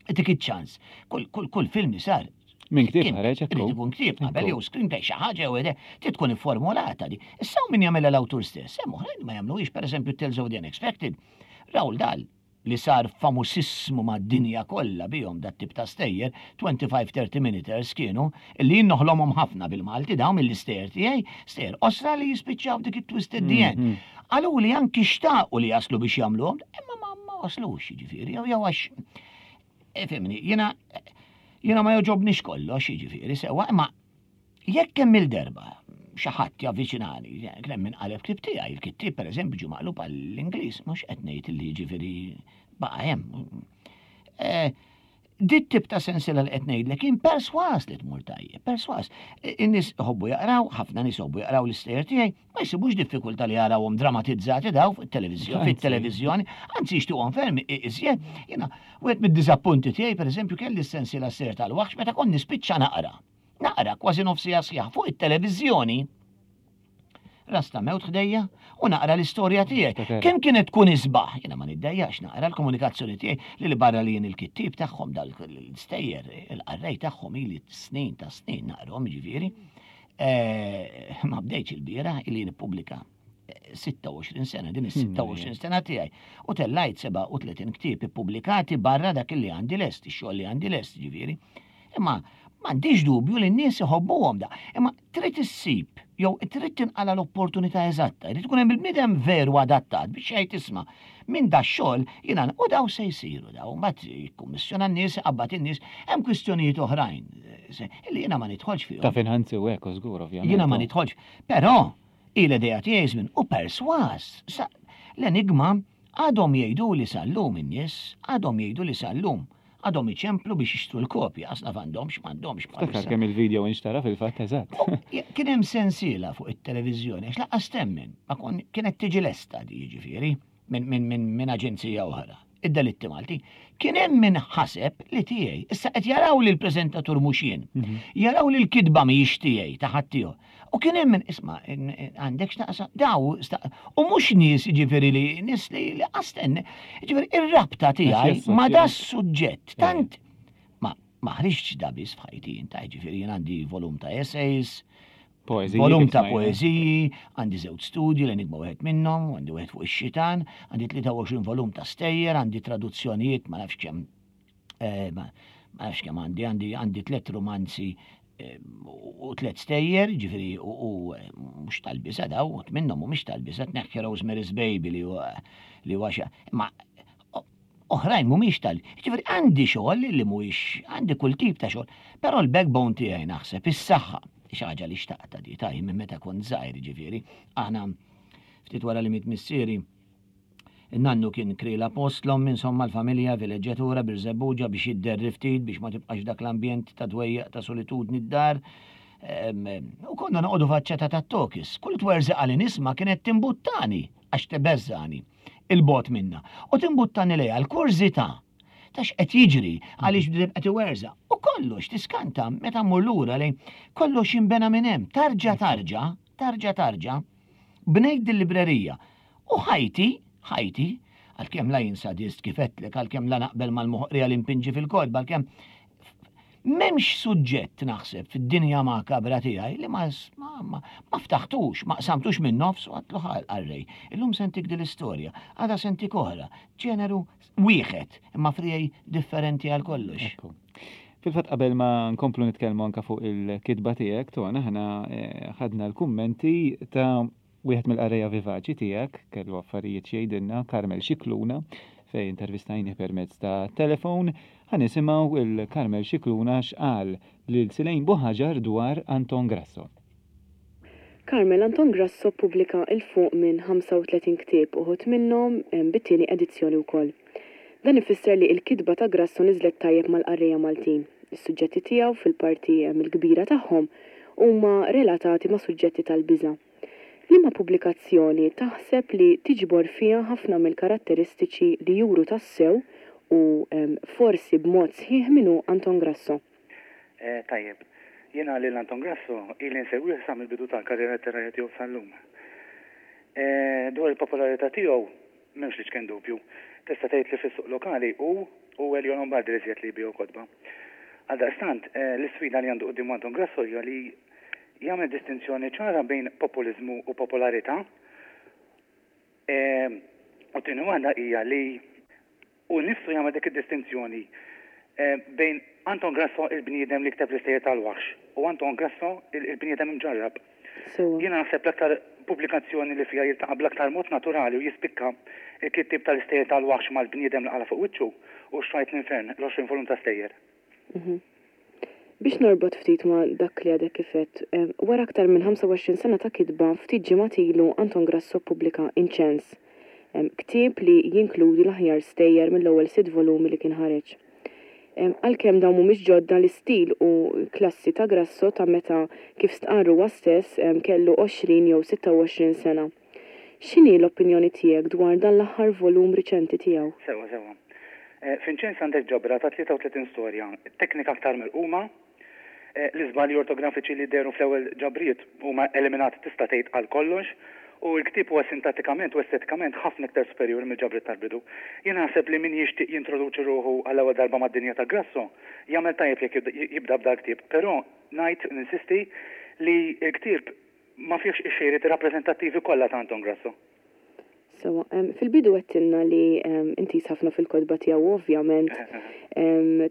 dik iċ-ċans. Kull kull kull film li sar Minn ktieb kien ħareġ, ekku. irid ikun ktieb qabel Ekku. jew screenplay, xi ħaġa jew ide, trid tkun ifformulata di. Issa min jagħmilha l-awtur stess, hemm oħrajn ma jagħmluhiex, pereżempju Tales of the Unexpected. Roald Dahl, li sar famosissmu mad-dinja kollha bihom dat tip ta' stejjer, twenty-five thirty minuters kienu, li jien noħlomhom ħafna bil-Malti dawn mill-istejjer tiegħi, stejjer qosra li jispiċċaw dik it-twisted the end. Mhm. Qalu li anki xtaqu li jaslu biex jagħmluhom, imma ma ma waslux, jiġifieri, jew jew għax ifhimni, jiena jiena ma joġobnix kollox, jiġifieri, sewa, imma jekk kemm il-derba xi ħadd javviċinani, kien hemm min qaleb ktieb tiegħi, il-kittieb pereżempju ġie maqlub għall-Ingliż, mhux qed ngħid li jiġifieri baqa' hemm. Eh, Dit tip ta' sensiela li qed ngħidlek jien perswas li tmur tajjeb, perswas. In-nies iħobbu jaqraw, ħafna nies iħobbu jaqraw l-istejjer tiegħi, ma jsibux diffikultà li jarawhom dramatizzati daw fuq it-televiżjoni, Anzi. fit-televiżjoni, anzi jixtieqhom ferm i- iżjed. Jiena wieħed mid-diżappunti tiegħi, pereżempju, kelli s-sensiela stejjer tal-waħx, meta kont nispiċċa naqra. Naqra kważi nofsija sħiħ fuq it-televiżjoni. Rasta mewt ħdejja u naqra l-istorja tiegħi. Niftakar. Kemm kienet tkun isbaħ, jiena ma niddejjax naqra l-komunikazzjoni tiegħi li li barra li jien il-kittieb tagħhom dal l-istejjer, il-qarrej tagħhom ili snin ta' snin naqrahom, ġifieri. Eh, Ma bdejtx il-bieraħ, ili nippubblika eh, sitta u għoxrin sena, din is-sitta u għoxrin sena tiegħi. U tellajt sebgħa u tletin ktieb ippubblikati barra dak li għandi lest, ix-xogħol li għandi lest, ġifieri. Imma m'għandix dubju li n-nies iħobbuhom da. Imma trid issib, jew trid tinqala l-opportunità eżatta, trid tkun hemm il-bniedem veru adattat biex jgħid, "Isma' minn da xogħol jiena u daw se jsiru daw." Mbagħad jikkummissjona n-nies, iqabbad in-nies, hemm kwistjonijiet oħrajn eh, se- li jiena ma nidħolx fihom. Ta' finanzi u hekk, żgur, ovvjament. Jiena ma nidħolx. Però il-idea tiegħi żmien u perswas. Sa- L-Enigma għadhom jgħidu li sal-lum in-nies, għadhom jgħidu li sal-lum għadhom iċemplu biex jixtru l-kopja, asna m'għandhomx, m'għandhomx. Ftakar kemm il-video inxtara fil-fatt, eżatt. Kien hemm sensiela fuq it-televiżjoni, għax lanqas temmen, ma kon kienet tiġi lesta di, jiġifieri, minn min, min, min aġenzija oħra. Id-delitti Malti. Kien hemm min ħaseb li tiegħi. Issa qed jaraw li l-preżentatur mhux jien. Jaraw li l-kitba mhijiex tiegħi, ta' ħaddieħor. U kien hemm min, "Isma', għandek x'taqsam daw sta-" u mhux nies, jiġifieri, li nies li li qasten. Jiġifieri ir-rabta tiegħi ma da suġġett tant ma ma ħriġtx da biss f'ħajti inta, jiġifieri jien għandi volum ta' essays, Poeżiji. Volum Kif ta' smajna. poeżiji, għandi żewġ studji, l-Enigma wieħed minnhom, għandi wieħed fuq ix-xitan, għandi tlieta u għoxrin volum ta' stejjer, għandi traduzzjonijiet, ma nafx kemm eh, ma ma nafx kemm għandi, għandi għandi tliet romanzi eh, u tliet stejjer, ġifieri u u, eh, mhux tal-biża daw, u minnhom mhumiex tal-biża, tneħħi Rosemary's Baby li huwa li huwa xa, ma oħrajn mhumiex tal. Ġifieri għandi xogħol li mhuwiex, għandi kull tip ta' xogħol, però l-backbone tiegħi naħseb is-saħħa, xi ħaġa li xtaqta di taj minn meta kont żgħir, ġifieri. Aħna ftit wara li miet missieri Nannu kien krila postlom, insomma l-familja vileġġjatura Birżebbuġa biex jidderri ftit biex ma tibqax dak l-ambjent ta' dwejjaq ta' solitudni d-dar. U konna noqogħdu faċċata tat-tokis. Kull twerżiqa li nisma' kienet timbuttani għax tebeżżani 'il bogħod minna. U timbuttani lejha l-kurżità ta' x'qed jiġri għaliex bdejt qed iwerżaq. U kollox tiskanta meta mmur lura lejn kollox jinbena minn hemm. Tarġa tarġa, tarġa tarġa, bnejt dil-librerija. U ħajti, ħajti, għalkemm la jien sadist kif għedtlek, għalkemm la naqbel mal-moħqrija li mpinġi fil-kotba, għalkemm m'hemmx suġġett naħseb fid-dinja makabra tiegħi li ma, ma, ma, ma ftaħtux, ma qsamtux minn nofs u għedtlu ħa l-qarrej. Illum se ntik din l-istorja, għada se ntik oħra, ġeneru wieħed, imma friegħi differenti għal kollox. Fil-fatt qabel ma nkomplu nitkellmu anka fuq il-kitba tiegħek, Ton, aħna eh, ħadna l-kummenti ta' wieħed mill-qarrejja vivaċi tiegħek, kellu affarijiet x'jgħidilna, Carmel Xikluna, fej intervistajni permezz ta' telefon, ħa nisimgħu lil Carmel Xikluna x'qal lil Silejn Buħaġar dwar Anton Grasso. Carmel, Anton Grasso ppubblika 'l fuq minn ħamsa u tletin ktieb, uħud minnhom bit-tieni edizzjoni wkoll. Dan ifisser li l-kitba ta' Grasso niżlet tajjeb mal-qarrejja Maltin. Is-suġġetti tiegħu fil-parti l-kbira tagħhom huma relatati ma' suġġetti tal-biża'. Liema pubblikazzjoni taħseb li tiġbor fiha ħafna mill-karatteristiċi li juru tassew u forsi b'mod sħiħ min hu Anton Grasso? Eh, tajjeb. Jiena lil Anton Grasso ili nsegwih sa mill-bidu tal-karriera letterarja tiegħu sal-lum. Eh, dwar il-popolarità tiegħu m'hemmx l-iċken dubju. Tista' tgħid li fis-suq lokali hu u Elio Lombardi li li jbigħu kotba. Għaldaqstant, eh, l-isfida li għandu quddiem Anton Grasso hija li jagħmel distinzjoni ċara bejn populiżmu u popolarità. Eh, u tieni waħda hija li hu nnifsu jagħmel dik id-distinzjoni bejn Anton Grasso il-bniedem li kteb l-istejjer tal-waħx u Anton Grasso il-bniedem imġarrab. Jiena naħseb l-aktar pubblikazzjoni li fiha jiltaqa' bl-aktar mod naturali u jispikka il-kittib tal-istejjer tal-waħx mal-bniedem li qala fuq wiċċu u Xtrajt l-Infern, l-għoxrin volum ta' stejjer. Mhm. Biex norbot ftit ma' dak li għadek kif għedt, wara aktar minn ħamsa u għoxrin sena ta' kitba, ftit ġimgħat ilu Anton Grasso ppubblika Inċens, ktieb li jinkludi l-aħjar stejjer mill-ewwel sitt volumi li kien ħareġ. Għalkemm dawn mhumiex ġodda, l-istil u klassi ta' Grasso ta' meta, kif stqarr huwa stess, kellu għoxrin jew sitta u għoxrin sena. X'inhi l-opinjoni tiegħek dwar dan l-aħħar volum riċenti tiegħu? Sewa, sewa. Eh, F'Inċens għandek ġabra ta' tlieta u tletin storja, teknika aktar mirquma, eh, l-iżbalji ortografiċi li dehru fl-ewwel ġabriet huma eliminati tista' tgħid għal kollox u l-ktieb huwa sintattikament u estetikament ħafna iktar superjuri mill-ġabriet tal-bidu. Jien naħseb li min jixtieq jintroduċi ruħu għall-ewwel darba mad-dinja ta' Grasso jagħmel tajjeb jekk jibda b'dal ktieb, però ngħid ninsisti li l-ktieb ma fihx ix-xejriet rappreżentattivi kollha ta' Anton Grasso. Sewa, fil-bidu għedtilna li intiż ħafna fil-kotba tiegħu, ovvjament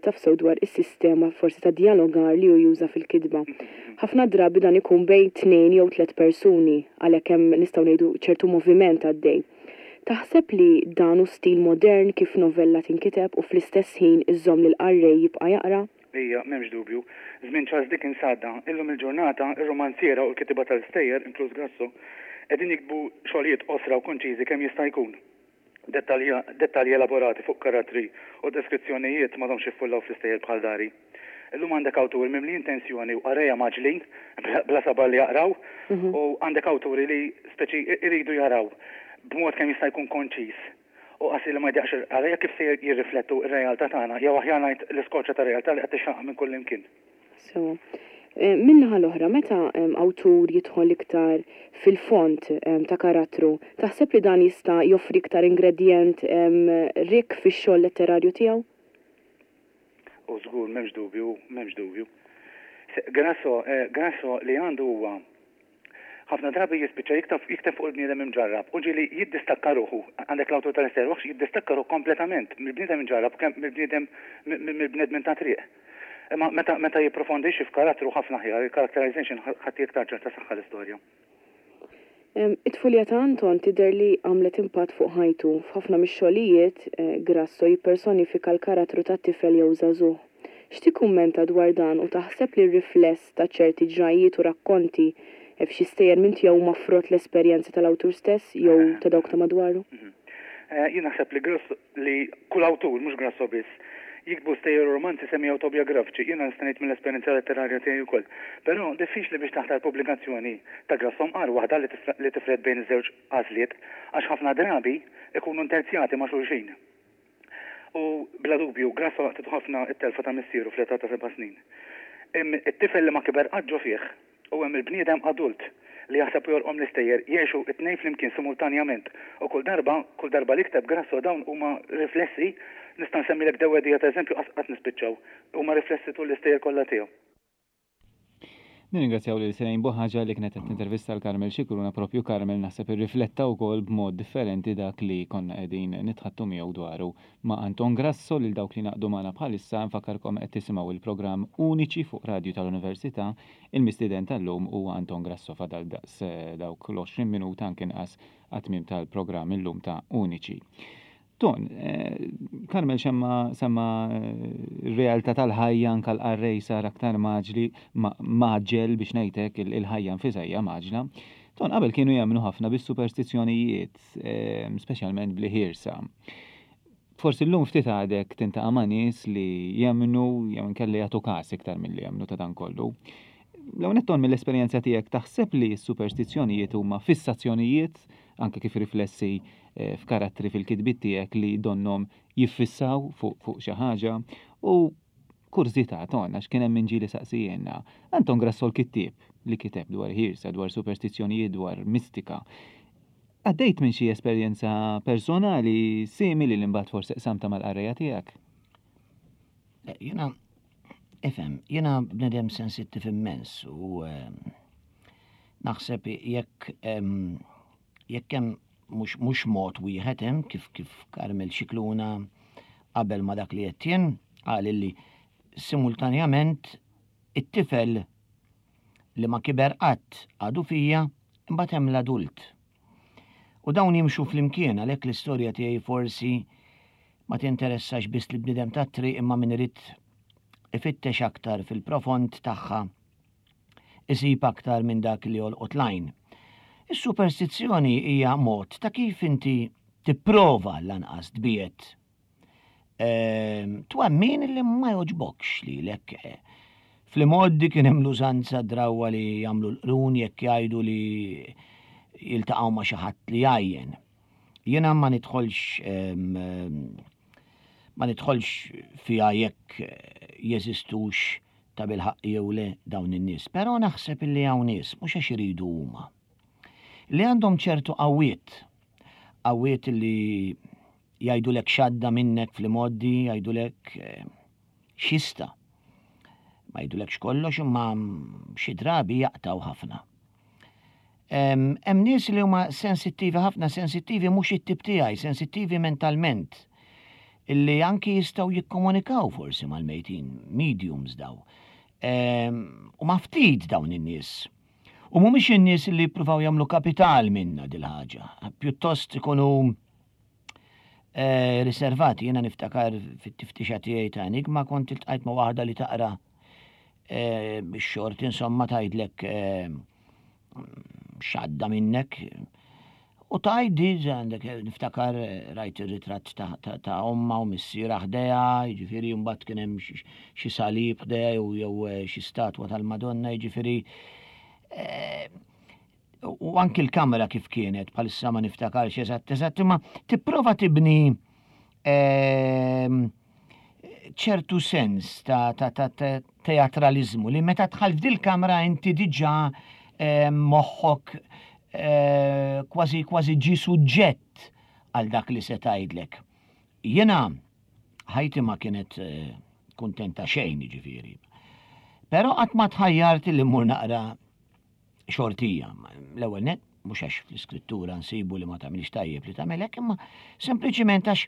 taf sew dwar is-sistema forsi ta' dialogar li hu juża fil-kitba. Ħafna drabi dan ikun bejn tnejn jew tliet persuni, għalhekk hemm, nistgħu ngħidu, ċertu moviment għaddej. Taħseb li dan hu stil modern kif novella tinkiteb u fl-istess ħin iżomm lil qarrej jibqa' jaqra? Ija, m'hemmx dubju. Żmien Charles Dickens għadda, illum il-ġurnata, ir-romanziera u l-kittieba tal-istejjer, inkluż Grasso, qegħdin jiktbu xogħlijiet qosra u konċiżi kemm jista' jkun. Dettalji elaborati fuq karattri u deskrizzjonijiet m'għadhomx jiffullaw fl-istejjer bħal dari. Illum għandek awtur mimli intenzjoni u qarrejja mgħaġġlin, bla sabar li jaqraw, mhm. u għandek awturi li speċi iridu jaraw b'mod kemm jista' jkun konċis u qasir li ma jdejjaqx il-qarrejja kif se jirriflettu r-realtà tagħna, jew aħjar ngħid l-iskorċa ta' realtà li qed tixxaqqa minn kull imkien. So, eh, min-naħa l-oħra, meta awtur jidħol iktar fil-fond ta' karattru, taħseb li dan jista' joffri iktar ingredient rik fix-xogħol letterarju tiegħu? U żgur, m'hemmx dubju, m'hemmx dubju. Grasso, eh, Grasso li għandu huwa ħafna drabi jispiċċa jikteb jikteb fuq il-bniedem imġarrab u ġieli jiddistakka ruħu, għandek l-awtur tal-istejjer waħx jiddistakka ruħu kompletament mill-bniedem imġarrab kemm mill-bniedem mill-bnedmin ta' triq. Imma meta meta jipprofondixxi f'karattru ħafna aħjar, il-characterization ħadd iktar ċerta saħħa l-istorja. It-tfulija ta' Anton tidher li għamlet impatt fuq ħajtu. F'ħafna mix-xogħlijiet eh, Grasso jippersonifika l-karattru ta' tifel jew żagħżugħ. X'tikkummenta dwar dan u taħseb li r-rifless ta' ċerti ġrajiet u rakkonti f'xi stejjer minn tiegħu huma frott l-esperjenzi tal-awtur stess jew ta' dawk ta' madwaru? Mhm. Jien naħseb li Grasso, li kull awtur, mhux Grasso biss, jiktbu stejjer u romanzi semi-autobiografiċi, jiena nista' ngħid mill-esperjenza letterarja tiegħi wkoll. Però diffiċli biex taħtar pubblikazzjoni ta' Grasso mqar waħda li tifred bejn iż-żewġ għażliet, għax ħafna drabi ikunu interzjati ma' xulxin. U bla dubju, Grasso laqtitu ħafna t-telfa ta' missieru fl-età ta' seba' snin. It-tifel li ma kiber qatt ġo fih u hemm il-bniedem adult li jaħseb u jorqom l-istejjer jgħixu t-tnejn flimkien simultanjament u kull darba, kull darba li kteb Grasso dawn huma riflessi, nista' nsemmilek dewwedija ta' eżempju qatt nispiċċaw, huma riflessi tul l-istejjer kollha tiegħu. Nirringrazzjaw lil Sirene Buħaġa li kienet qed tintervista l Carmel Scicluna, propju Carmel naħseb irrifletta wkoll b'mod differenti dak li konna qegħdin nitħattu miegħu dwaru ma' Anton Grasso. Lil dawk li ngħaqdu magħna bħalissa nfakkarkom qed tisimgħu il-programm Uniċi fuq Radju tal-Università. Il-mistieden tal-lum huwa Anton Grasso. Fadal daqs dawk l-għoxrin minuta anke inqas għat-tmiem tal-programm illum ta' Uniċi. Ton, Carmel xemma semma r-realtà tal-ħajja, anke l-qarrej sar aktar maġli, maġġel biex ngħidlek, il-ħajja nfisha hija maġla. Ton, qabel kienu jemmnu ħafna bis-superstizzjonijiet, speċjalment bl-ħirsa. Forsi llum ftit għadek tintaqa' ma' nies li jemmnu jew inkella jagħtu każ iktar milli jemmnu ta' dan kollu. L-ewwel nett, Ton, mill-esperjenza tiegħek taħseb li s-superstizzjonijiet huma fissazzjonijiet, anke kif riflessi f'karattri fil-kitbiet tiegħek li donnom jiffissaw fuq, fuq xi ħaġa? U kurżità, Ton, għax kien hemm min ġieli saqsijiena. Anton Grasso l-kittieb li kiteb dwar ħirsa, dwar superstizzjonijiet, dwar mistika. Għaddejt minn xi esperjenza personali simili li mbagħad forsi qsamta mal-qarrejja tiegħek? Jiena, ifhem, jiena bnedem sensittiv immens u naħseb jekk jekk hemm mhux, mhux mod wieħed hemm kif, kif Carmel Scicluna qabel ma dak li qed jien qal li simultanjament it-tifel li ma kiber qatt għadu fija, imbagħad hemm l-adult. U dawn jimxu flimkien, għalhekk l-istorja tiegħi forsi ma tinteressax biss li bniedem tat-triq, imma min irid ifittex aktar fil-profond tagħha isib aktar minn dak li jolqot lajn. Is-superstizzjoni hija mod ta' kif inti tipprova lanqas tbiet twemmin li ma joġbokx lilek. Fl-imgħoddi kien hemm l-użanza drawwa li jagħmlu l-qrun jekk jgħidu li jiltaqgħu ma' xi ħadd li jgħajjen. Jiena ma nidħolx ma nidħolx fiha jekk jeżistux ta' bilħaqq jew le dawn in-nies, però naħseb illi hawn nies mhux għax iridu huma, li għandhom ċertu qawwiet, qawwiet li jgħidulek xadda minnek fl-imgħoddi, jgħidulek xista. Ma jgħidulekx kollox imma xi drabi jaqtaw ħafna. Hemm nies li huma sensittivi ħafna, sensittivi mhux it-tip tiegħi, sensittivi mentalment, illi anki jistgħu jikkomunikaw forsi mal-mejtin, mediums daw. U ma ftit dawn in-nies. U mhumiex in-nies li jippruvaw jagħmlu kapital minna dil-ħaġa, pjuttost ikunu riservati. Jiena niftakar fit-tiftixa tiegħi ta' enigma kont iltqajt ma' waħda li taqra bix-xort, insomma tgħidlek x'għadda minnek. U tgħiddi, għandek niftakar rajt ir-ritratt ta' omma u missiera ħdejha, jiġifieri mbagħad kien hemm xi salib ħdejha jew xi statwa tal-Madonna, jiġifieri u anki l-kamera kif kienet, bħalissa ma niftakarx eżatt eżatt, imma tipprova tibni ċertu sens ta' teatralizmu li meta tħall f'dil-kamra inti diġà moħħok kważi kważi ġi suġġett għal dak li se tgħidlek. Jiena ħajti ma kienet kuntenta xejn, jiġifieri. Però qatt ma tħajjart li mmur naqra xortija. L-ewwel net, mhux għax fl-iskrittura nsibu li ma tagħmilx tajjeb li tagħmel hekk, imma sempliċiment għax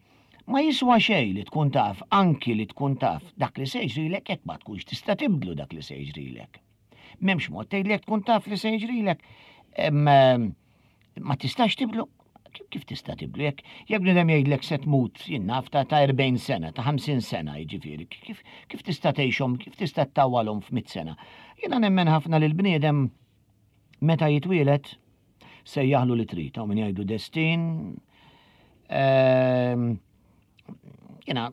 ma jiswa xejn li tkun taf, anki li tkun taf dak li se jiġrilek jekk ma tkunx tista' tibdlu dak li se jiġrilek. M'hemmx mod tgħidlek tkun taf li se jiġrilek. Ma tistax tibdlu. Kif tista' tibdlu? Jekk jekk bniedem jgħidlek se tmut, jien naf, ta' erbgħin sena, ta' ħamsin sena, jiġifieri, kif, kif tista' tgħixhom, kif tista' ttawwalhom f'mitt sena? Jiena nemmen ħafna li l-bniedem meta jitwielet sejjaħlu li trid, hawn min jgħidu destin, Ehm, jiena,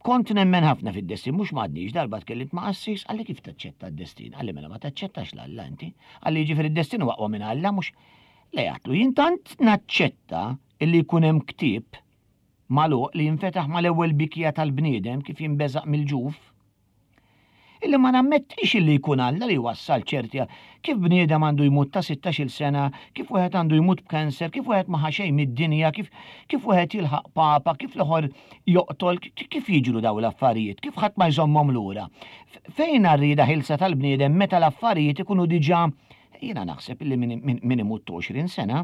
kont nemmen ħafna fid-destin, mhux m'għadniex. Darba tkellimt ma' qassis, qalli: "Kif taċċetta d-destin?" Qalli: "Mela ma taċċettax 'l Alla inti?" Qalli: "Ġifieri d-destin huwa aqwa minn Alla, mhux?" Le, għedtlu, jien tant naċċetta illi jkun hemm ktieb magħluq li jinfetaħ mal-ewwel bikja tal-bniedem kif jinbeżaq mill-ġuf, illi ma nammettix illi jkun Alla li wassal ċerti, kif bniedem għandu jmut ta' sittax-il sena, kif wieħed għandu jmut b'kanser, kif wieħed ma xejn mid-dinja, kif kif wieħed jilħaq papa, kif l-ieħor joqtol, kif jiġru daw l-affarijiet, kif ħadd ma jżommhom lura. Fejn r-rieda ħielsa tal-bniedem meta l-affarijiet ikunu diġà? Jiena naħseb illi min imut għoxrin sena,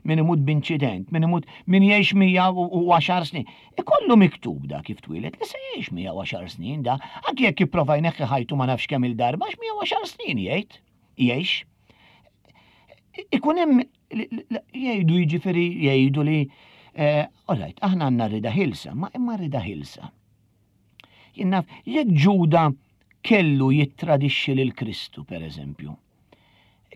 min imut b'inċident, min imut, min jgħix mija u għaxar snin. Ikollu miktub da kif twieled li se jgħix mija u għaxar snin da, anki jekk jipprova jneħħi ħajtu ma nafx kemm il-darba, għax mija u għaxar snin jgħid, jgħix. Ikun hemm jgħidu, jiġifieri jgħidu li eh, all right, aħna għandna rieda ħielsa, ma imma rieda ħielsa. Jien naf, jekk Ġuda kellu jittradixxi lil Kristu, per eżempju,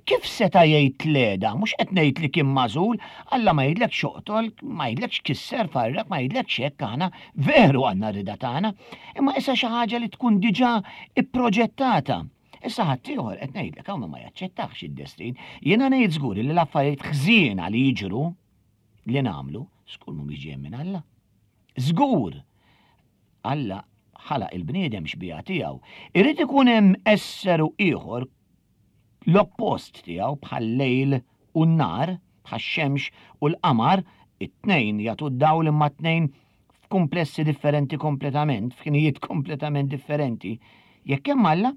kif seta' jgħid le da? Mhux qed ngħid li kien magħżul, Alla ma jgħidlekx oqtol, ma jgħidlekx kisser farrak, ma jgħidlekx hekk. Aħna veru għandna rieda tagħna, imma issa xi ħaġa li tkun diġà ipproġettata. Issa ħaddieħor, qed ngħidlek, hawn ma jaċċettax id-destin. Jiena ngħid żgur li l-affarijiet ħżiena li jiġru li nagħmlu, żgur mhumiex ġejjin minn Alla. Żgur. Alla ħalaq il-bniedem xbieha tiegħu. Irid ikun hemm esseru ieħor l-oppost tiegħu, bħal-lejl u n-nhar, bħax-xemx u l-qamar, it-tnejn jagħtu d-dawl imma t-tnejn f'kumplessi differenti kompletament, f'ħinijiet kompletament differenti. Jekk hemm Alla,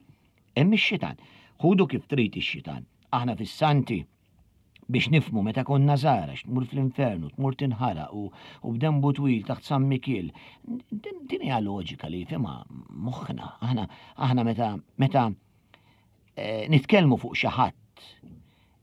hemm ix-xitan. Ħudu kif trid ix-xitan. Aħna fis-santi biex nifhmu meta konna żgħar, tmur fl-infernu, tmur tinħaraq u, u b'denbu twil taħt San Mikiel. Din din hija loġika li jifhimha moħħna. Aħna aħna meta meta eh, nitkellmu fuq xi ħadd,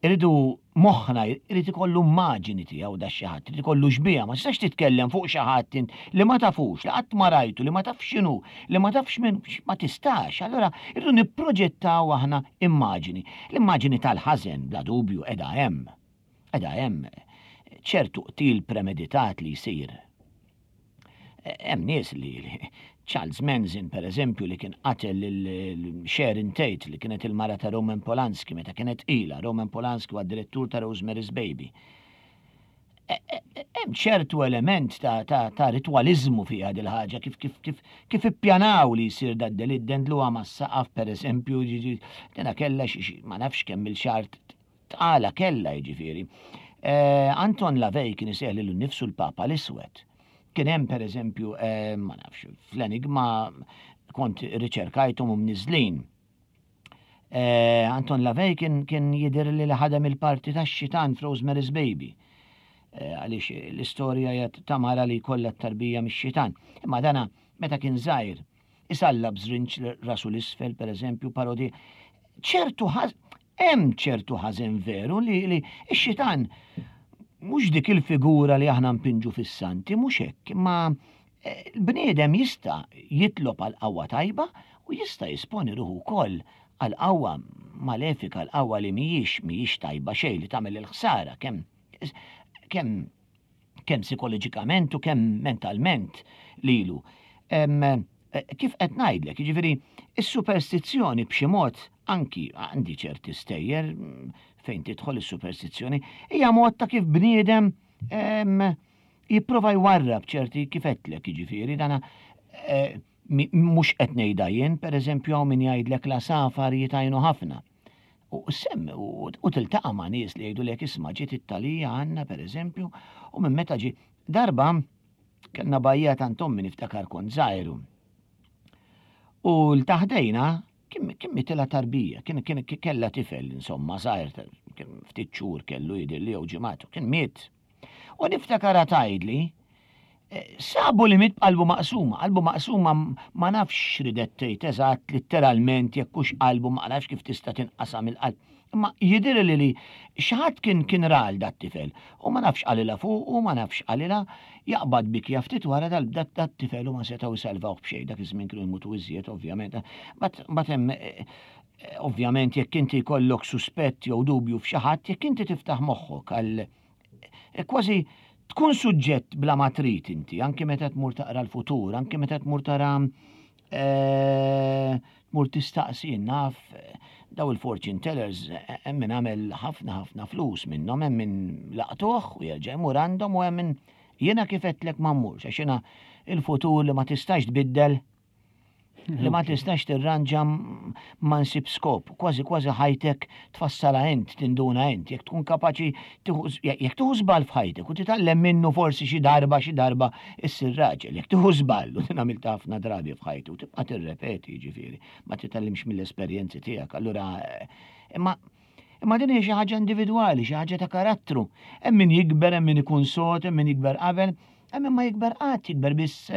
irridu moħħna irid ikollu immaġini tiegħu da xi ħadd, irid ikollu xbieha. Ma tistax titkellem fuq xi ħadd int li ma tafux, li qatt ma rajtu, li ma tafx x'inhu, li ma tafx min, ma tistax. Allura irridu nipproġettaw aħna immaġini. L-immaġini tal-ħażen bla dubju qiegħda hemm. Qiegħda hemm ċertu qtil premeditat li jsir. Hemm nies li Charles Manson, per eżempju, li kien qatel lil Sharon Tate, li kienet il-mara ta' Roman Polanski meta kienet ila. Roman Polanski huwa direttur ta' Rosemary's Baby. Hemm ċertu element ta', ta, ta' ritualizmu fiha dil ħaġa, kif kif kif kif ippjanaw li jsir da delitt, dendluha mas-saqaf, per eżempju, dina kella ma nafx kemm il-xahar tqala kella, jiġifieri. Eh, Anton LaVey kien isejjaħ lilu nnifsu l-Papa l-Iswed. Kien hemm, per eżempju, eh, ma nafx, fl-Enigma kont riċerkajthom u mniżlin. Eh, Anton LaVey kien kien jidher li ħadem il-parti tax-xitan f'Rosemary's Baby. Eh, għaliex l-istorja hija ta' mara li kollha tarbija mix-xitan. Imma dana meta kien żgħir isalla b'żrinġ rasu l-isfel, per eżempju, parodi. ċertu hemm ċertu ħażen veru li, li x-xitan mhux dik il-figura li aħna npinġu fis-santi, mhux hekk, imma eh, l-bniedem jista' jitlob għal qawwa tajba u jista' jisponi ruħu wkoll għal qawwa malefika, għal qawwa li mhijiex mhijiex tajba xejn, li tagħmel il-ħsara kemm kemm kemm psikoloġikament u kemm mentalment lilu. Em, eh, kif qed ngħidlek, jiġifieri is-superstizzjoni b'xi mod, anki għandi ċerti stejjer mm, fejn tidħol is-superstizzjoni, hija mod ta' kif bniedem em, jipprova jwarrab ċerti, kif għedtlek, jiġifieri dana eh, mhux qed ngħidha jien, pereżempju, hawn min jgħidlek l-għasafar jitgħajnu ħafna. U semm, u tiltaqa' ma' nies li jgħidulek: "Isma', ġiet it-talija għandna, pereżempju, u minn meta ġi." Darba kellna bajja ta' ommi, niftakar kont żgħir. U 'l ta' ħdejna kien kien mitilha tarbija, kien kien kella tifel, insomma, żgħir, kien ftit xhur kellu jidher li jew ġimgħatu, kien miet. U niftakar tgħidli, eh, sabu li miet b'qalbu maqsuma. Qalbu maqsuma, ma nafx ridet tgħid eżatt letteralment jekk hux qalbu, ma nafx kif tista' tinqasam il-qalb. Imma jidher li li xi ħadd kien kien ral dat-tifel u ma nafx qalilha fuq u ma nafx qalilha, jaqbad bikja ftit wara dat-tifel u ma setgħu jsalvawh b'xejn. Dak iż-żmien kienu jmutu iżjed, ovvjament. But hemm eh, ovvjament jekk inti jkollok suspett jew dubju f'xi ħadd, jekk inti tiftaħ moħħok għal eh, kważi Tkun suġġett bla ma trid inti, anke meta tmur taqra l-futur, anke meta tmur tara eh, tmur tistaqsi naf daw il-fortune tellers, hemm min għamel ħafna ħafna flus minnhom, hemm min laqtuh u jerġa' jmur għandhom u hemm min jiena kif għedtlek ma mmurx, għax jiena il-futur li ma tistax tbiddel, li ma tistax tirranġa, ma nsib skop, kważi kważi ħajtek tfassala int, tinduna int, jekk tkun kapaċi, jekk tieħu żball f'ħajtek u titgħallem minnu, forsi xi darba xi darba issir raġel, jekk tieħu żball, u din għamilta ħafna drabi f'ħajti, u tibqa' tirrepeti, ġifieri, ma titgħallimx mill-esperjenzi tiegħek, allura imma Imma din hija xi ħaġa individwali, xi ħaġa ta' karattru. Hemm min jikber, hemm min ikun sod, hemm min jikber qabel, hemm min ma jikber qatt, jikber biss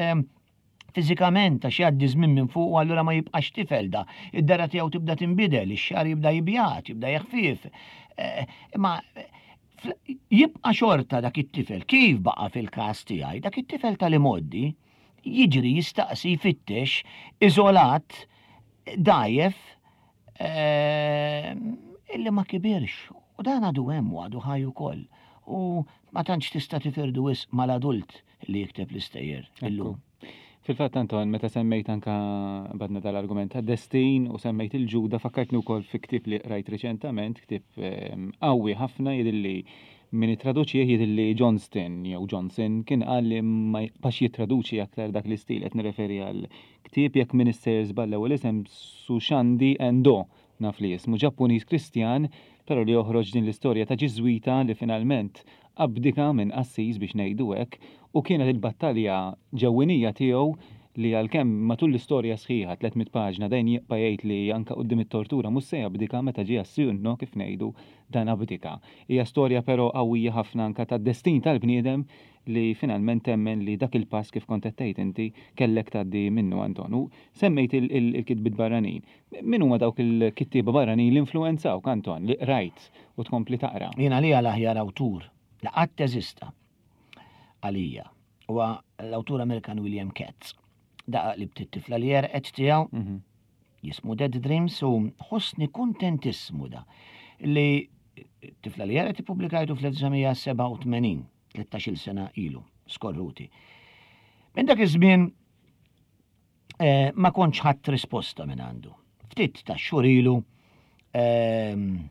fiżikament għax jgħaddi żmien minn fuq u allura ma jibqax tifel da. Id-dehra tiegħu tibda tinbidel, ix-xagħar jibda jibjad, jibda jeħfief. Imma jibqa' xorta dak it-tifel, kif baqa' fil-każ tiegħi, dak it-tifel tal-imgħoddi, jiġri, jistaqsi, jfittex, iżolat, dgħajjef, illi ma kibirx. U dan għadu hemm u għadu ħaj ukoll. U ma tantx tista' tifirdu wisq mal-adult li jikteb l-istejjer illum. Fil-fatt, Anton, meta semmejt anka badna dal-argument ta' destin u semmejt il-ġuda, fakkartni wkoll fi ktieb li rajt riċentament, ktieb qawwi ħafna, jidhirli min ittraduċih, jidhirli Johnston jew Johnson, kien qal li ma jibqax jittraduċi aktar dak l-istil. Qed nirreferi għal ktieb, jekk m'iniex sejjer żball l-ewwel isem, Susandi Endo, naf li jismu, Ġappuniż Kristjan, però li joħroġ din l-istorja ta' Ġiżwita li finalment abdika minn qassis, biex ngħidu hekk, u kienet il-battalja ġewwinija tiegħu li għalkemm matul l-istorja sħiħa, tliet mitt paġna, dejjem jibqa' jgħid li anka quddiem it-tortura mhux se jabdika, meta ġie għas-sinno, kif ngħidu, dan abdika. Hija storja però qawwija ħafna anka tad-destin tal-bniedem li finalment temmen li dak il-pass, kif kont qed tgħid inti, kellek tgħaddi minnu, Anton. U semmejt il-kitbiet barranin. Min huma dawk il-kittieba barranin li influenzawk, Anton, li qrajt u tkompli taqra? Jiena li l-aħjar awtur li qatt teżista għalija huwa l-awtur Amerikan William Katz. Daqa li btit-tifla li għerqet tiegħu Mhm. jismu Dead Dreams u ħossni kuntentissmu da li tifla li għerqet ippubblikajtu fl-elf disa' mija sebgħa u tmenin, tlettax-il sena ilu, skorruti. Minn dak iż-żmien eh, ma kontx ħadd risposta minn għandu. Ftit ta' xhur ilu ehm,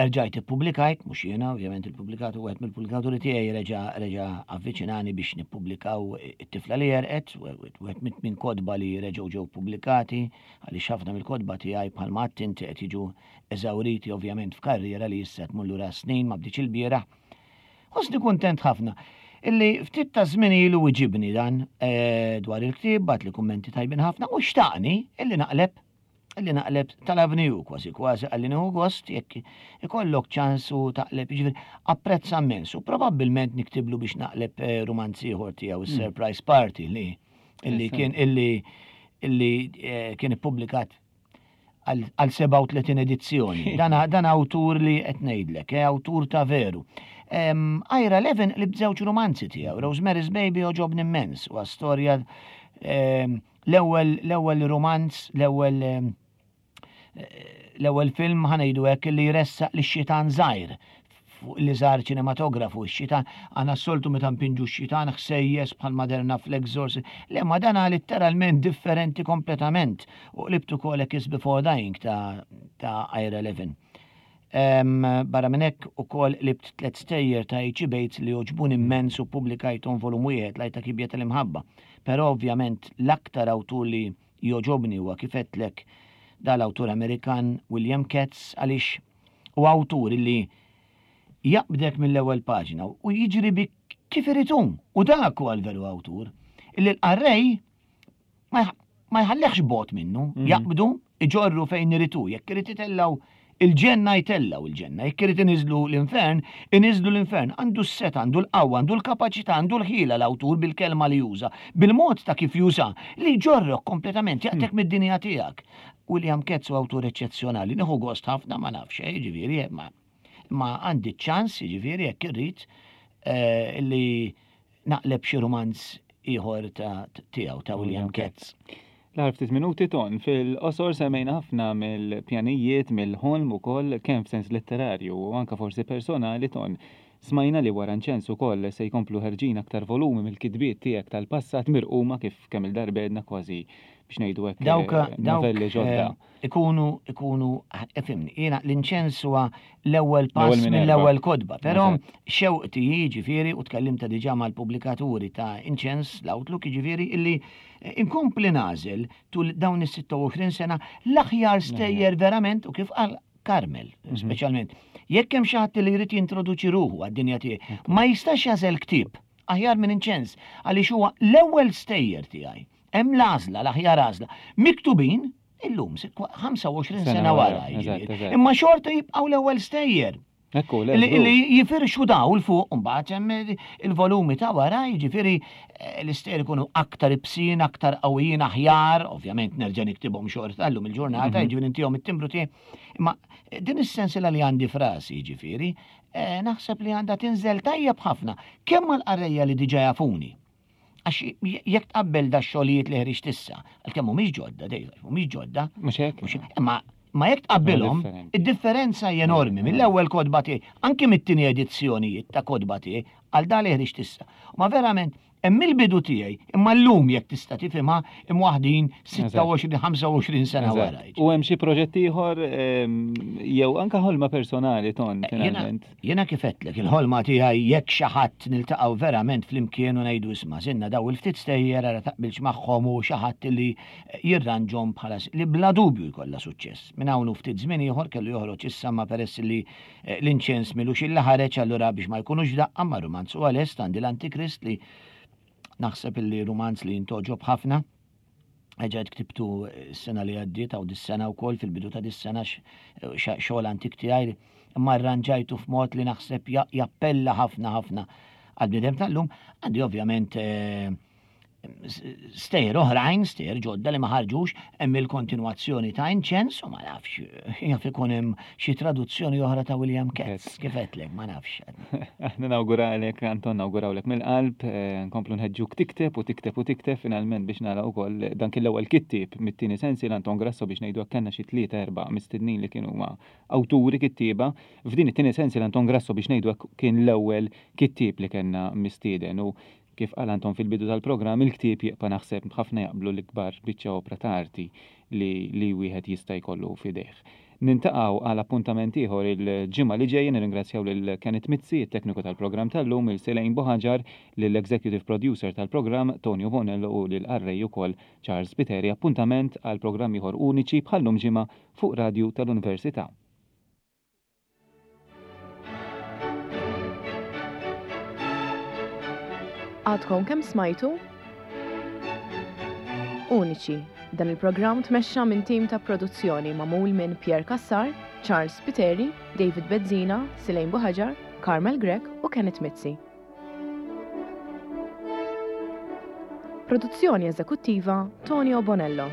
erġajt ippubblikajt, mhux jiena, ovvjament il-pubblikatu, wieħed mill-pubblikaturi tiegħi reġa' reġa' avviċinani biex nippubblikaw it-tifla li għerqet, wieħed minn minn kotba li reġgħu ġew pubblikati, għaliex ħafna mill-kotba tiegħi, bħalma għedt inti, qed jiġu eżawriti ovvjament f'karriera li issa tmur lura snin, ma bdietx ilbieraħ. Ħossni kuntent ħafna illi ftit ta' żmien ilu wieġibni dan eh, dwar il-ktieb, bagħatli kummenti tajbin ħafna u xtaqni illi naqleb illi naqleb tal-Avenue, kważi kważi qalli nieħu gost jekk ikollok ċans u taqleb, jiġifieri apprezza immens u probabbilment niktiblu biex naqleb eh, romanz ieħor tiegħu, is-Surprise Party, li illi kien illi illi eh, kien ippubblikat għal sebgħa u tletin edizzjoni. Dan, dan awtur li qed ngħidlek, eh, awtur ta' veru. Um, Ira Levin li bżewġ romanzi tiegħu, Rosemary's Baby għoġobni immens, u storja l-ewwel l-ewwel romanz, l-ewwel l-ewwel film, ħa ngħidu hekk, li jressaq lix-xitan żgħir fuq li żar ċinematografu, x-xitan, għandna s-soltu meta npinġu x-xitan ħsejjes bħal Maderna fl-Exorcist, le ma dana letteralment differenti kompletament. U qlibtu ukoll Kiss Before Dying ta', ta Ira Levin. Um, barra minn hekk ukoll qlibt tliet stejjer ta' H E. Bates li għoġbuni immens u ppubblikajthom volum wieħed, L-Għajta Kiebja tal-Imħabba. Però ovvjament l-aktar awtur li jogħġobni huwa, kif għedtlek, dal-awtur Amerikan William Katz, għaliex u awtur li jaqbdek mill-ewwel paġna u jiġri bik kif irid hu. U dak huwa l-veru awtur. Illi l-qarrej ma jħallekx bogħod minnu, mhm. jaqbdu, iġorru fejn irid hu, jekk irid itellgħu il-ġenna jtellgħu il-ġenna, jekk irid iniżlu l-infern, iniżlu l-infern. Għandu s-setgħa, għandu l-qawwa, għandu l-kapaċità, għandu l-ħila l-awtur bil-kelma li juża, bil-mod ta' kif juża, li jġorrok kompletament, jaqtgħek mm. mid-dinja tiegħek. William Katz u awtur eċċezzjonali, nieħu gost ħafna, ma nafx, eh, ġifieri, ma ma għandi ċans, ġifieri, jekk irrid eh, li naqleb xi romanz ieħor ta' tiegħu, ta' William Katz. L-aħħar ftit minuti, Ton, fil-qosor semmejna ħafna mill-pjanijiet, mill-ħolm ukoll, kemm f'sens letterarju u anka forsi personali, Ton. Smajna li wara Inċens ukoll se jkomplu ħerġin aktar volumi mill-kitbiet tiegħek tal-passat mirquma kif kemm il-darba għedna kważi biex ngħidu hekk Dawk eh, dawk novelli ġodda. eh, ikunu ikunu ifhimni, jiena l-inċens huwa l-ewwel pass L-ewwel minn mill-ewwel erba'. kotba, però Eżatt. xewqti jiġifieri u tkellimta diġà mal-pubblikaturi ta' Inċens l-Outlook jiġifieri illi eh, inkompli nagħżel tul dawn is-sitta u għoxrin sena l-aħjar stejjer verament u kif qal Carmel, Mhm. speċjalment. Jekk hemm xi ħadd li jrid jintroduċi ruħu għad-dinja tiegħi, ma jistax jagħżel ktieb aħjar minn Inċens għaliex huwa l-ewwel stejjer tiegħi. Hemm l-għażla, l-aħjar għażla. Miktubin illum ħamsa u għoxrin Sena sena wara, wara, eżatt, jiġifieri. eżatt. Imma xorta jibqgħu l-ewwel stejjer. Ekku, le, Li żgur. li jifirxu daw l-fuq, mbagħad hemm il-volumi ta' wara, jiġifieri eh, l-istejjer ikunu aktar ibsin, aktar qawwijin, aħjar, ovvjament nerġa' niktibhom xorta llum il-ġurnata, Mhm. jiġifieri intihom it-timbru tiegħi. Imma din is-sensiela li għandi frasi, jiġifieri, eh, naħseb li għandha tinżel tajjeb ħafna, kemm mal-qarrejja li diġà jafuni. Għax jekk tqabbel da xogħlijiet li ħriġt issa, għalkemm mhumiex ġodda, dejjem mhumiex ġodda. Mhux hekk? Mhux hekk, imma ma jekk tqabbilhom, Differenti. id-differenza hija enormi mill-ewwel kotba tiegħi, anke mit-tieni edizzjonijiet ta' kotba tiegħi għal da li ħriġt issa. Ma verament hemm il-bidu tiegħi, imma llum jekk tista' tifhimha imwaħdin sitta u għoxrin, ħamsa u għoxrin sena Eżatt. wara. U hemm xi proġett ieħor ehm, jew anke ħolma personali ton Eh, Jiena finalment. jiena kif għedtlek, il-ħolma tiegħi jekk xi ħadd niltaqgħu verament flimkien u ngħidu isma' sinna daw il-ftit stejjer ara taqbilx magħhom u xi ħadd li jirranġhom bħala s-, li bla dubju jkollha suċċess. Minn hawn u ftit żmien ieħor kellu joħroġ issa ma peress li, eh, l-inċens milux illa ħareġ allura biex ma jkunux daqqa ma rumanz u għalest għandi l-Antikrist li naħseb illi rumanz li jintoġob ħafna. Eġa ktibtu s-sena li għaddiet għaw dis-sena u kol fil-bidu ta' dis-sena x-, x-, xogħol antik tiegħi, imma arranġajtu f'mod li naħseb ja-, jappella ħafna ħafna għal-bniedem tal-lum. Għandi ovvjament, eh, stejjer oħrajn, stejjer ġodda li ma ħarġux, hemm il-kontinwazzjoni ta' Inċens u ma nafx, jaf ikun hemm xi traduzzjoni oħra ta' William Katz, Katz. kif għedtlek, ma nafx. Aħna nawguralek, Anton, nawgurawlek mill-qalb, eh, nkomplu nħeġġuk tikteb u tikteb u tikteb finalment biex nara wkoll dan kien l-ewwel kittieb mit-tieni sensi l-Anton Grasso biex ngħidu hekk kellna xi tlieta erba' mistednin li kienu huma awturi kittieba. F'din it-tieni sensi l-Anton Grasso biex ngħidu hekk kien l-ewwel kittieb li kellna mistieden u kif qal Anton fil-bidu tal-programm, il-ktieb jibqa' naħseb ħafna jaqblu l-ikbar biċċa opra ta' arti li, li wieħed jista' jkollu f'idejh. Nintaqgħu għal appuntament ieħor il-ġimgħa li ġejja, nirringrazzjaw lil Kenneth Mizzi, it-tekniku tal-programm tal-lum, il Selejn Buħaġar, lill-executive producer tal-programm Tonio Bonello u lil qarrej ukoll Charles Piteri. Appuntament għal programm ieħor uniċi bħal-lum ġimgħa fuq Radju tal-Università. Għadkom kemm smajtu? Uniċi. Dan il-programm tmexxa minn tim ta' produzzjoni magħmul minn Pierre Cassar, Charles Piteri, David Bezzina, Silejn Buħaġar, Carmel Grech u Kenneth Mizzi. Produzzjoni eżekuttiva Tonio Bonello.